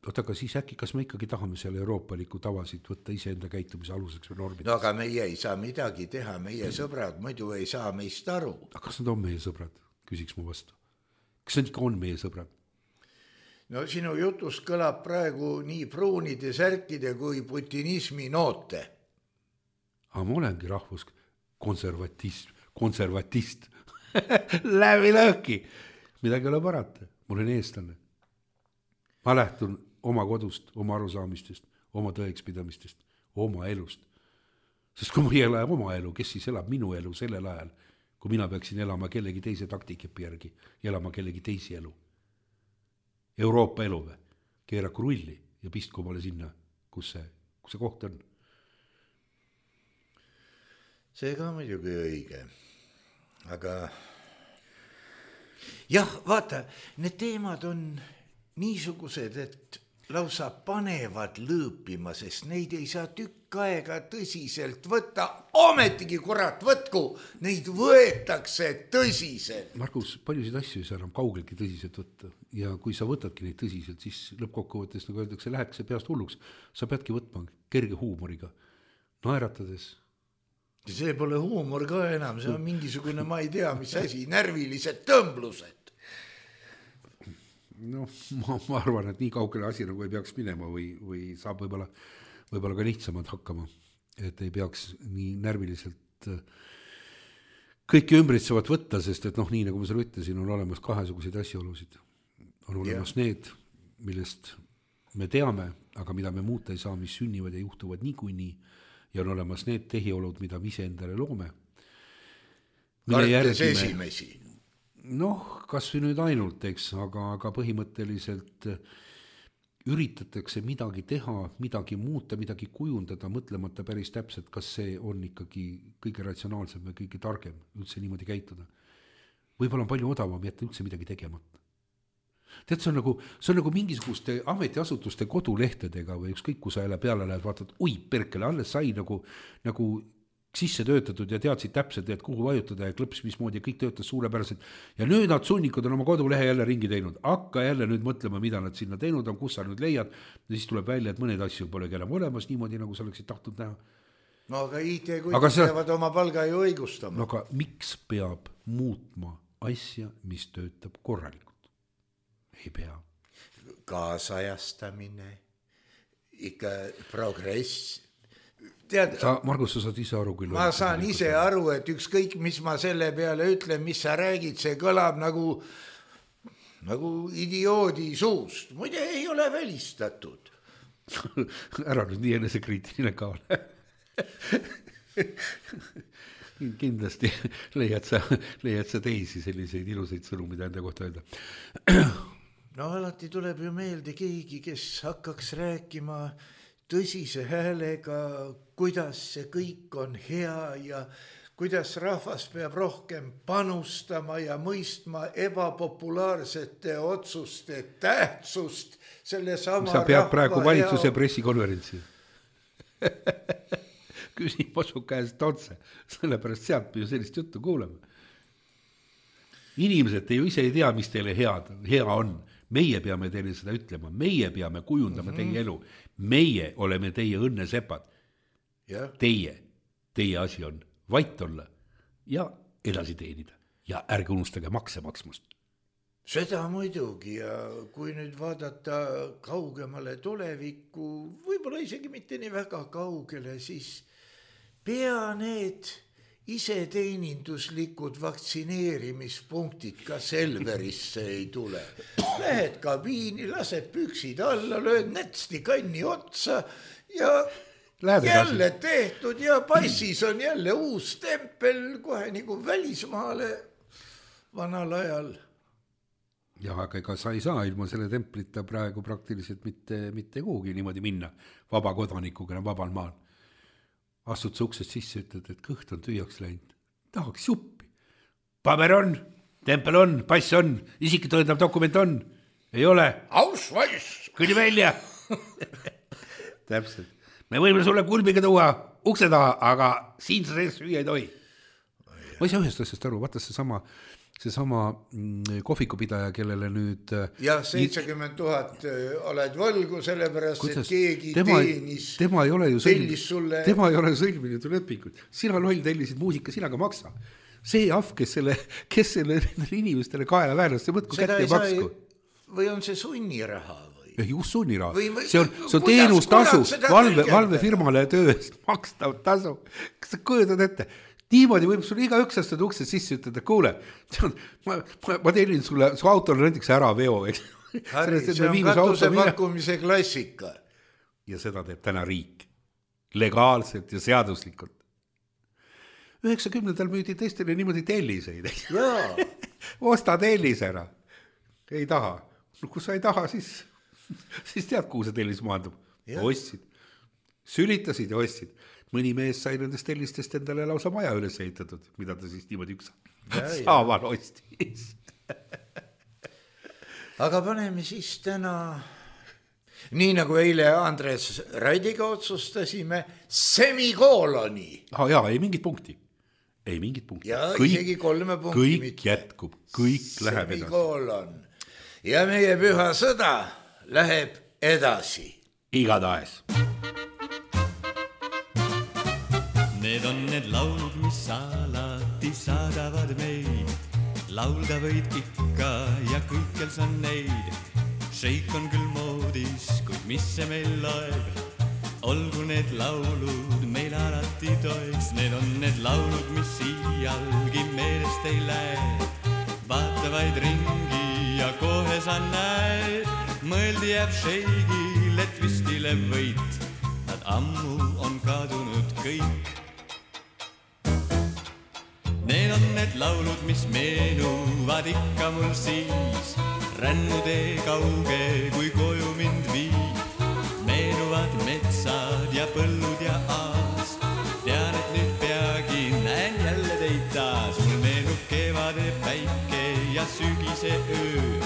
Oota, aga siis äkki, kas me ikkagi tahame selle euroopaliku tavasid võtta iseenda käitumise aluseks või normideks?
No aga meie ei saa midagi teha, meie sõbrad muidu ei saa meist aru.
Aga kas nad on meie sõbrad? Küsiks mu vastu. Kas nad ikka on meie sõbrad?
No sinu jutus kõlab praegu nii pruunide särkide kui putinismi noote.
Aga ma olengi rahvus konservatist, konservatist. Läbi lõhki. Midagi ole parata. Ma olen eestlane. Ma lähtun oma kodust, oma arusaamistest, oma tõekspidamistest, oma elust. Sest kui ma ei ela oma elu, kes siis elab minu elu sellel ajal, kui mina peaksin elama kellegi teise taktikepi järgi, elama kellegi teisi elu. Euroopa elu või? Keeraku rulli ja pistku omale sinna, kus see, kus see koht on.
See ka muidugi õige. Aga jah, vaata, need teemad on niisugused, et lausa panevad lõõpima, sest neid ei saa tükk aega tõsiselt võtta. Ometigi, kurat, võtku, neid võetakse tõsiselt.
Margus, paljusid asju ei saa enam kaugeltki tõsiselt võtta. Ja kui sa võtadki neid tõsiselt, siis lõppkokkuvõttes, nagu öeldakse, läheks see peast hulluks. Sa peadki võtma kerge huumoriga, naeratades.
See pole huumor ka enam, see on mingisugune, ma ei tea, mis asi, närvilised tõmblused.
No, ma, ma arvan, et nii kaugele asi nagu ei peaks minema või, või saab võib-olla, võib-olla ka lihtsamad hakkama, et ei peaks nii närviliselt kõiki ümbritsevat võtta, sest et noh, nii nagu ma selle ütlesin, on olemas kahesuguseid asjaolusid. On olemas yeah. need, millest me teame, aga mida me muuta ei saa, mis sünnivad ja juhtuvad niikuinii ja on olemas need tehiolud, mida me ise endale loome.
Kartes esimesi.
Noh, kas või nüüd ainult, eks, aga, aga põhimõtteliselt üritatakse midagi teha, midagi muuta, midagi kujundada, mõtlemata päris täpselt, kas see on ikkagi kõige ratsionaalsem või kõige targem üldse niimoodi käituda. Võib-olla on palju odavam jätta üldse midagi tegemata. Tead, see on nagu, see on nagu mingisuguste ametiasutuste kodulehtedega või ükskõik, kui sa jälle peale lähed, vaatad, oi perkele, alles sai nagu, nagu sisse töötatud ja teadsid täpselt, et kuhu vajutada ja klõps mismoodi ja kõik töötas suurepäraselt. Ja nüüd nad sunnikud on oma kodulehe jälle ringi teinud. Hakka jälle nüüd mõtlema, mida nad sinna teinud on, kus sa nüüd leiad. Ja siis tuleb välja, et mõned asju polegi enam olemas niimoodi, nagu sa oleksid tahtnud näha.
No aga I T-kuid see... peavad oma palga ju õigustama.
No aga miks peab muutma asja, mis töötab korralikult? Ei pea.
Kaasajastamine, ikka progress. Tead,
sa, Margus, sa saad ise aru küll.
Ma saan ise aru, et ükskõik, mis ma selle peale ütlen, mis sa räägid, see kõlab nagu, nagu idioodi suust. Muide ei ole välistatud.
Ära nüüd nii enesekriitiline ka ole. Kindlasti leiad sa, leiad sa teisi selliseid ilusaid sõnu, mida enda kohta öelda.
No alati tuleb ju meelde keegi, kes hakkaks rääkima tõsise häälega, kuidas see kõik on hea ja kuidas rahvas peab rohkem panustama ja mõistma ebapopulaarsete otsuste tähtsust selle sama
sa pead praegu valitsuse hea... pressikonverentsi. Küsin Posu käest otse, sellepärast sealt ju sellist juttu kuulema. Inimesed, te ju ise ei tea, mis teile head, hea on. Meie peame teile seda ütlema, meie peame kujundama mm-hmm. teie elu, meie oleme teie õnnesepad. Yeah. Teie, teie asi on vait olla ja edasi teenida ja ärge unustage makse maksmust.
Seda muidugi ja kui nüüd vaadata kaugemale tulevikku, võib-olla isegi mitte nii väga kaugele, siis pea need iseteeninduslikud vaktsineerimispunktid ka Selverisse ei tule. Lähed kabiini, lased püksid alla, lööd nätsti kanni otsa ja Lähed jälle edasi. Tehtud ja passis on jälle uus tempel kohe nagu välismaale vanal ajal.
Ja aga ega sa ei saa ilma selle templita praegu praktiliselt mitte, mitte kuhugi niimoodi minna vaba kodanikuna vabal maal. Astud sa uksest sisse, ütled, et kõht on tühjaks läinud. Tahaks suppi. Paber on, tempel on, pass on, isiki tõendav dokument on. Ei ole.
Ausweis.
Kõli välja. Täpselt. Me võime sulle kulmiga tuua ukse taha, aga siin sa sees süüa ei tohi. Ma ei saa ühest asjast aru, vaata see sama... see sama kohvikupidaja, kellele nüüd...
Ja seitsekümmend tuhat oled võlgu, sellepärast, kuidas? Et keegi tema, teenis,
tema ei ole ju
tellis sulle...
Tema ei ole ju sõlminud lepingut. Sina loll tellisid muusika, sina ka maksa. See ahv, kes selle, kes selle inimestele kaela väärnas, see mõtku kätte ja maksku.
Või on see sunniraha või?
Ja just sunniraha. Või, või, see on, see on teenustasu, valve, valvefirmale töö eest makstav tasu. Kas sa kujutad ette? Niimoodi võib sulle iga üks astud uksest sisse ütelda, kuule, ma, ma, ma tellin sulle, su autol näiteks ära veo.
Harri, see on katuse pakkumise klassika.
Ja seda teeb täna riik. Legaalselt ja seaduslikult. üheksakümnendal müüdi teistele niimoodi telliseid. Osta tellis ära. Ei taha. No, kui sa ei taha, siis, siis tead, kuhu see tellis maandub. Ostsid. Sülitasid ja ostsid. Mõni mees sai nendest tellistest endale lausa maja üles ehitatud, mida ta siis niimoodi üks saaval ostis.
Aga paneme siis täna, nii nagu eile Andres Raidiga otsustasime, semikooloni.
Ah, jaa, ei mingit punkti. Ei mingit punkti.
Ja kõik, isegi kolme punkti
kõik
mitte.
Jätkub, kõik läheb
semikoolon. Edasi. Ja meie püha sõda läheb edasi.
Igatahes.
Need on need laulud, mis alati saadavad meid. Laulda võid ikka ja kõikjal sa neid. Šeik on küll moodis, kuid mis see meil loeb. Olgu need laulud meil alati toeks. Need on need laulud, mis iialgi meelest ei lähe. Vaata vaid ringi ja kohe sa näed. Mõeldi jääb šeigil et vistile võit, nad ammu on kadunud kõik. Need on need laulud, mis meenuvad ikka mul siis, rännutee kauge, kui koju mind viib. Meenuvad metsad ja põllud ja aas, tean, et nüüd peagi näen jälle teid taas. Mul meenub kevade päike ja sügise öö,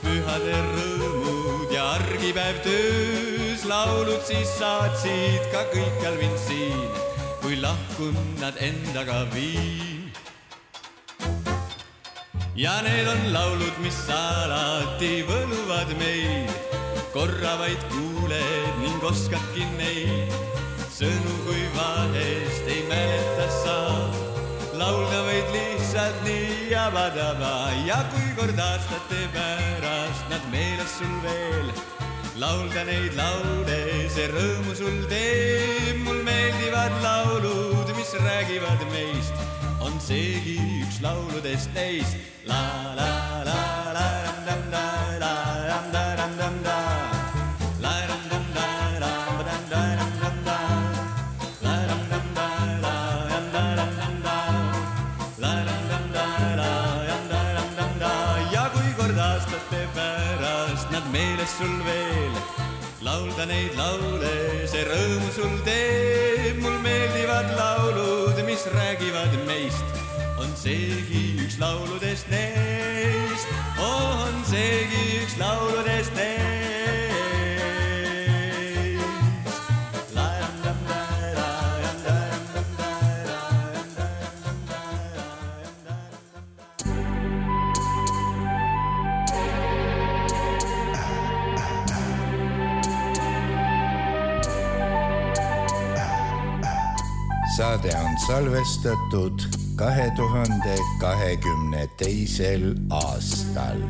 pühade rõõmud ja argipäev töös. Laulud siis saatsid ka kõikjal mind siin, kui lahkun nad endaga viin. Ja need on laulud, mis alati võluvad meid, korra vaid kuuled ning oskadki neid. Sõnu kui vahest ei mäleta saa, laulda võid lihtsalt nii jabadaba. Ja kui kord aastate pärast nad meeles sul veel, laulda neid laule, see rõõmu sul teeb. Mul meeldivad laulud, mis räägivad meist, on seegi üks lauludest neist. La la la la ram dam da la ram da ram dam da la ram dam da la ram da ram dam da la ram dam da la ram da ram dam da la ram dam da la ram da ram dam da. Ja kui kord aastate pärast nad meeles sul veel, laulda neid laule, see rõõmu sul teeb. Mul meeldivad laulud, mis räägivad meist, on seegi üks lauludest neist, on seegi üks lauludest neist.
Saade on salvestatud kahe tuhande kahekümne teisel aastal.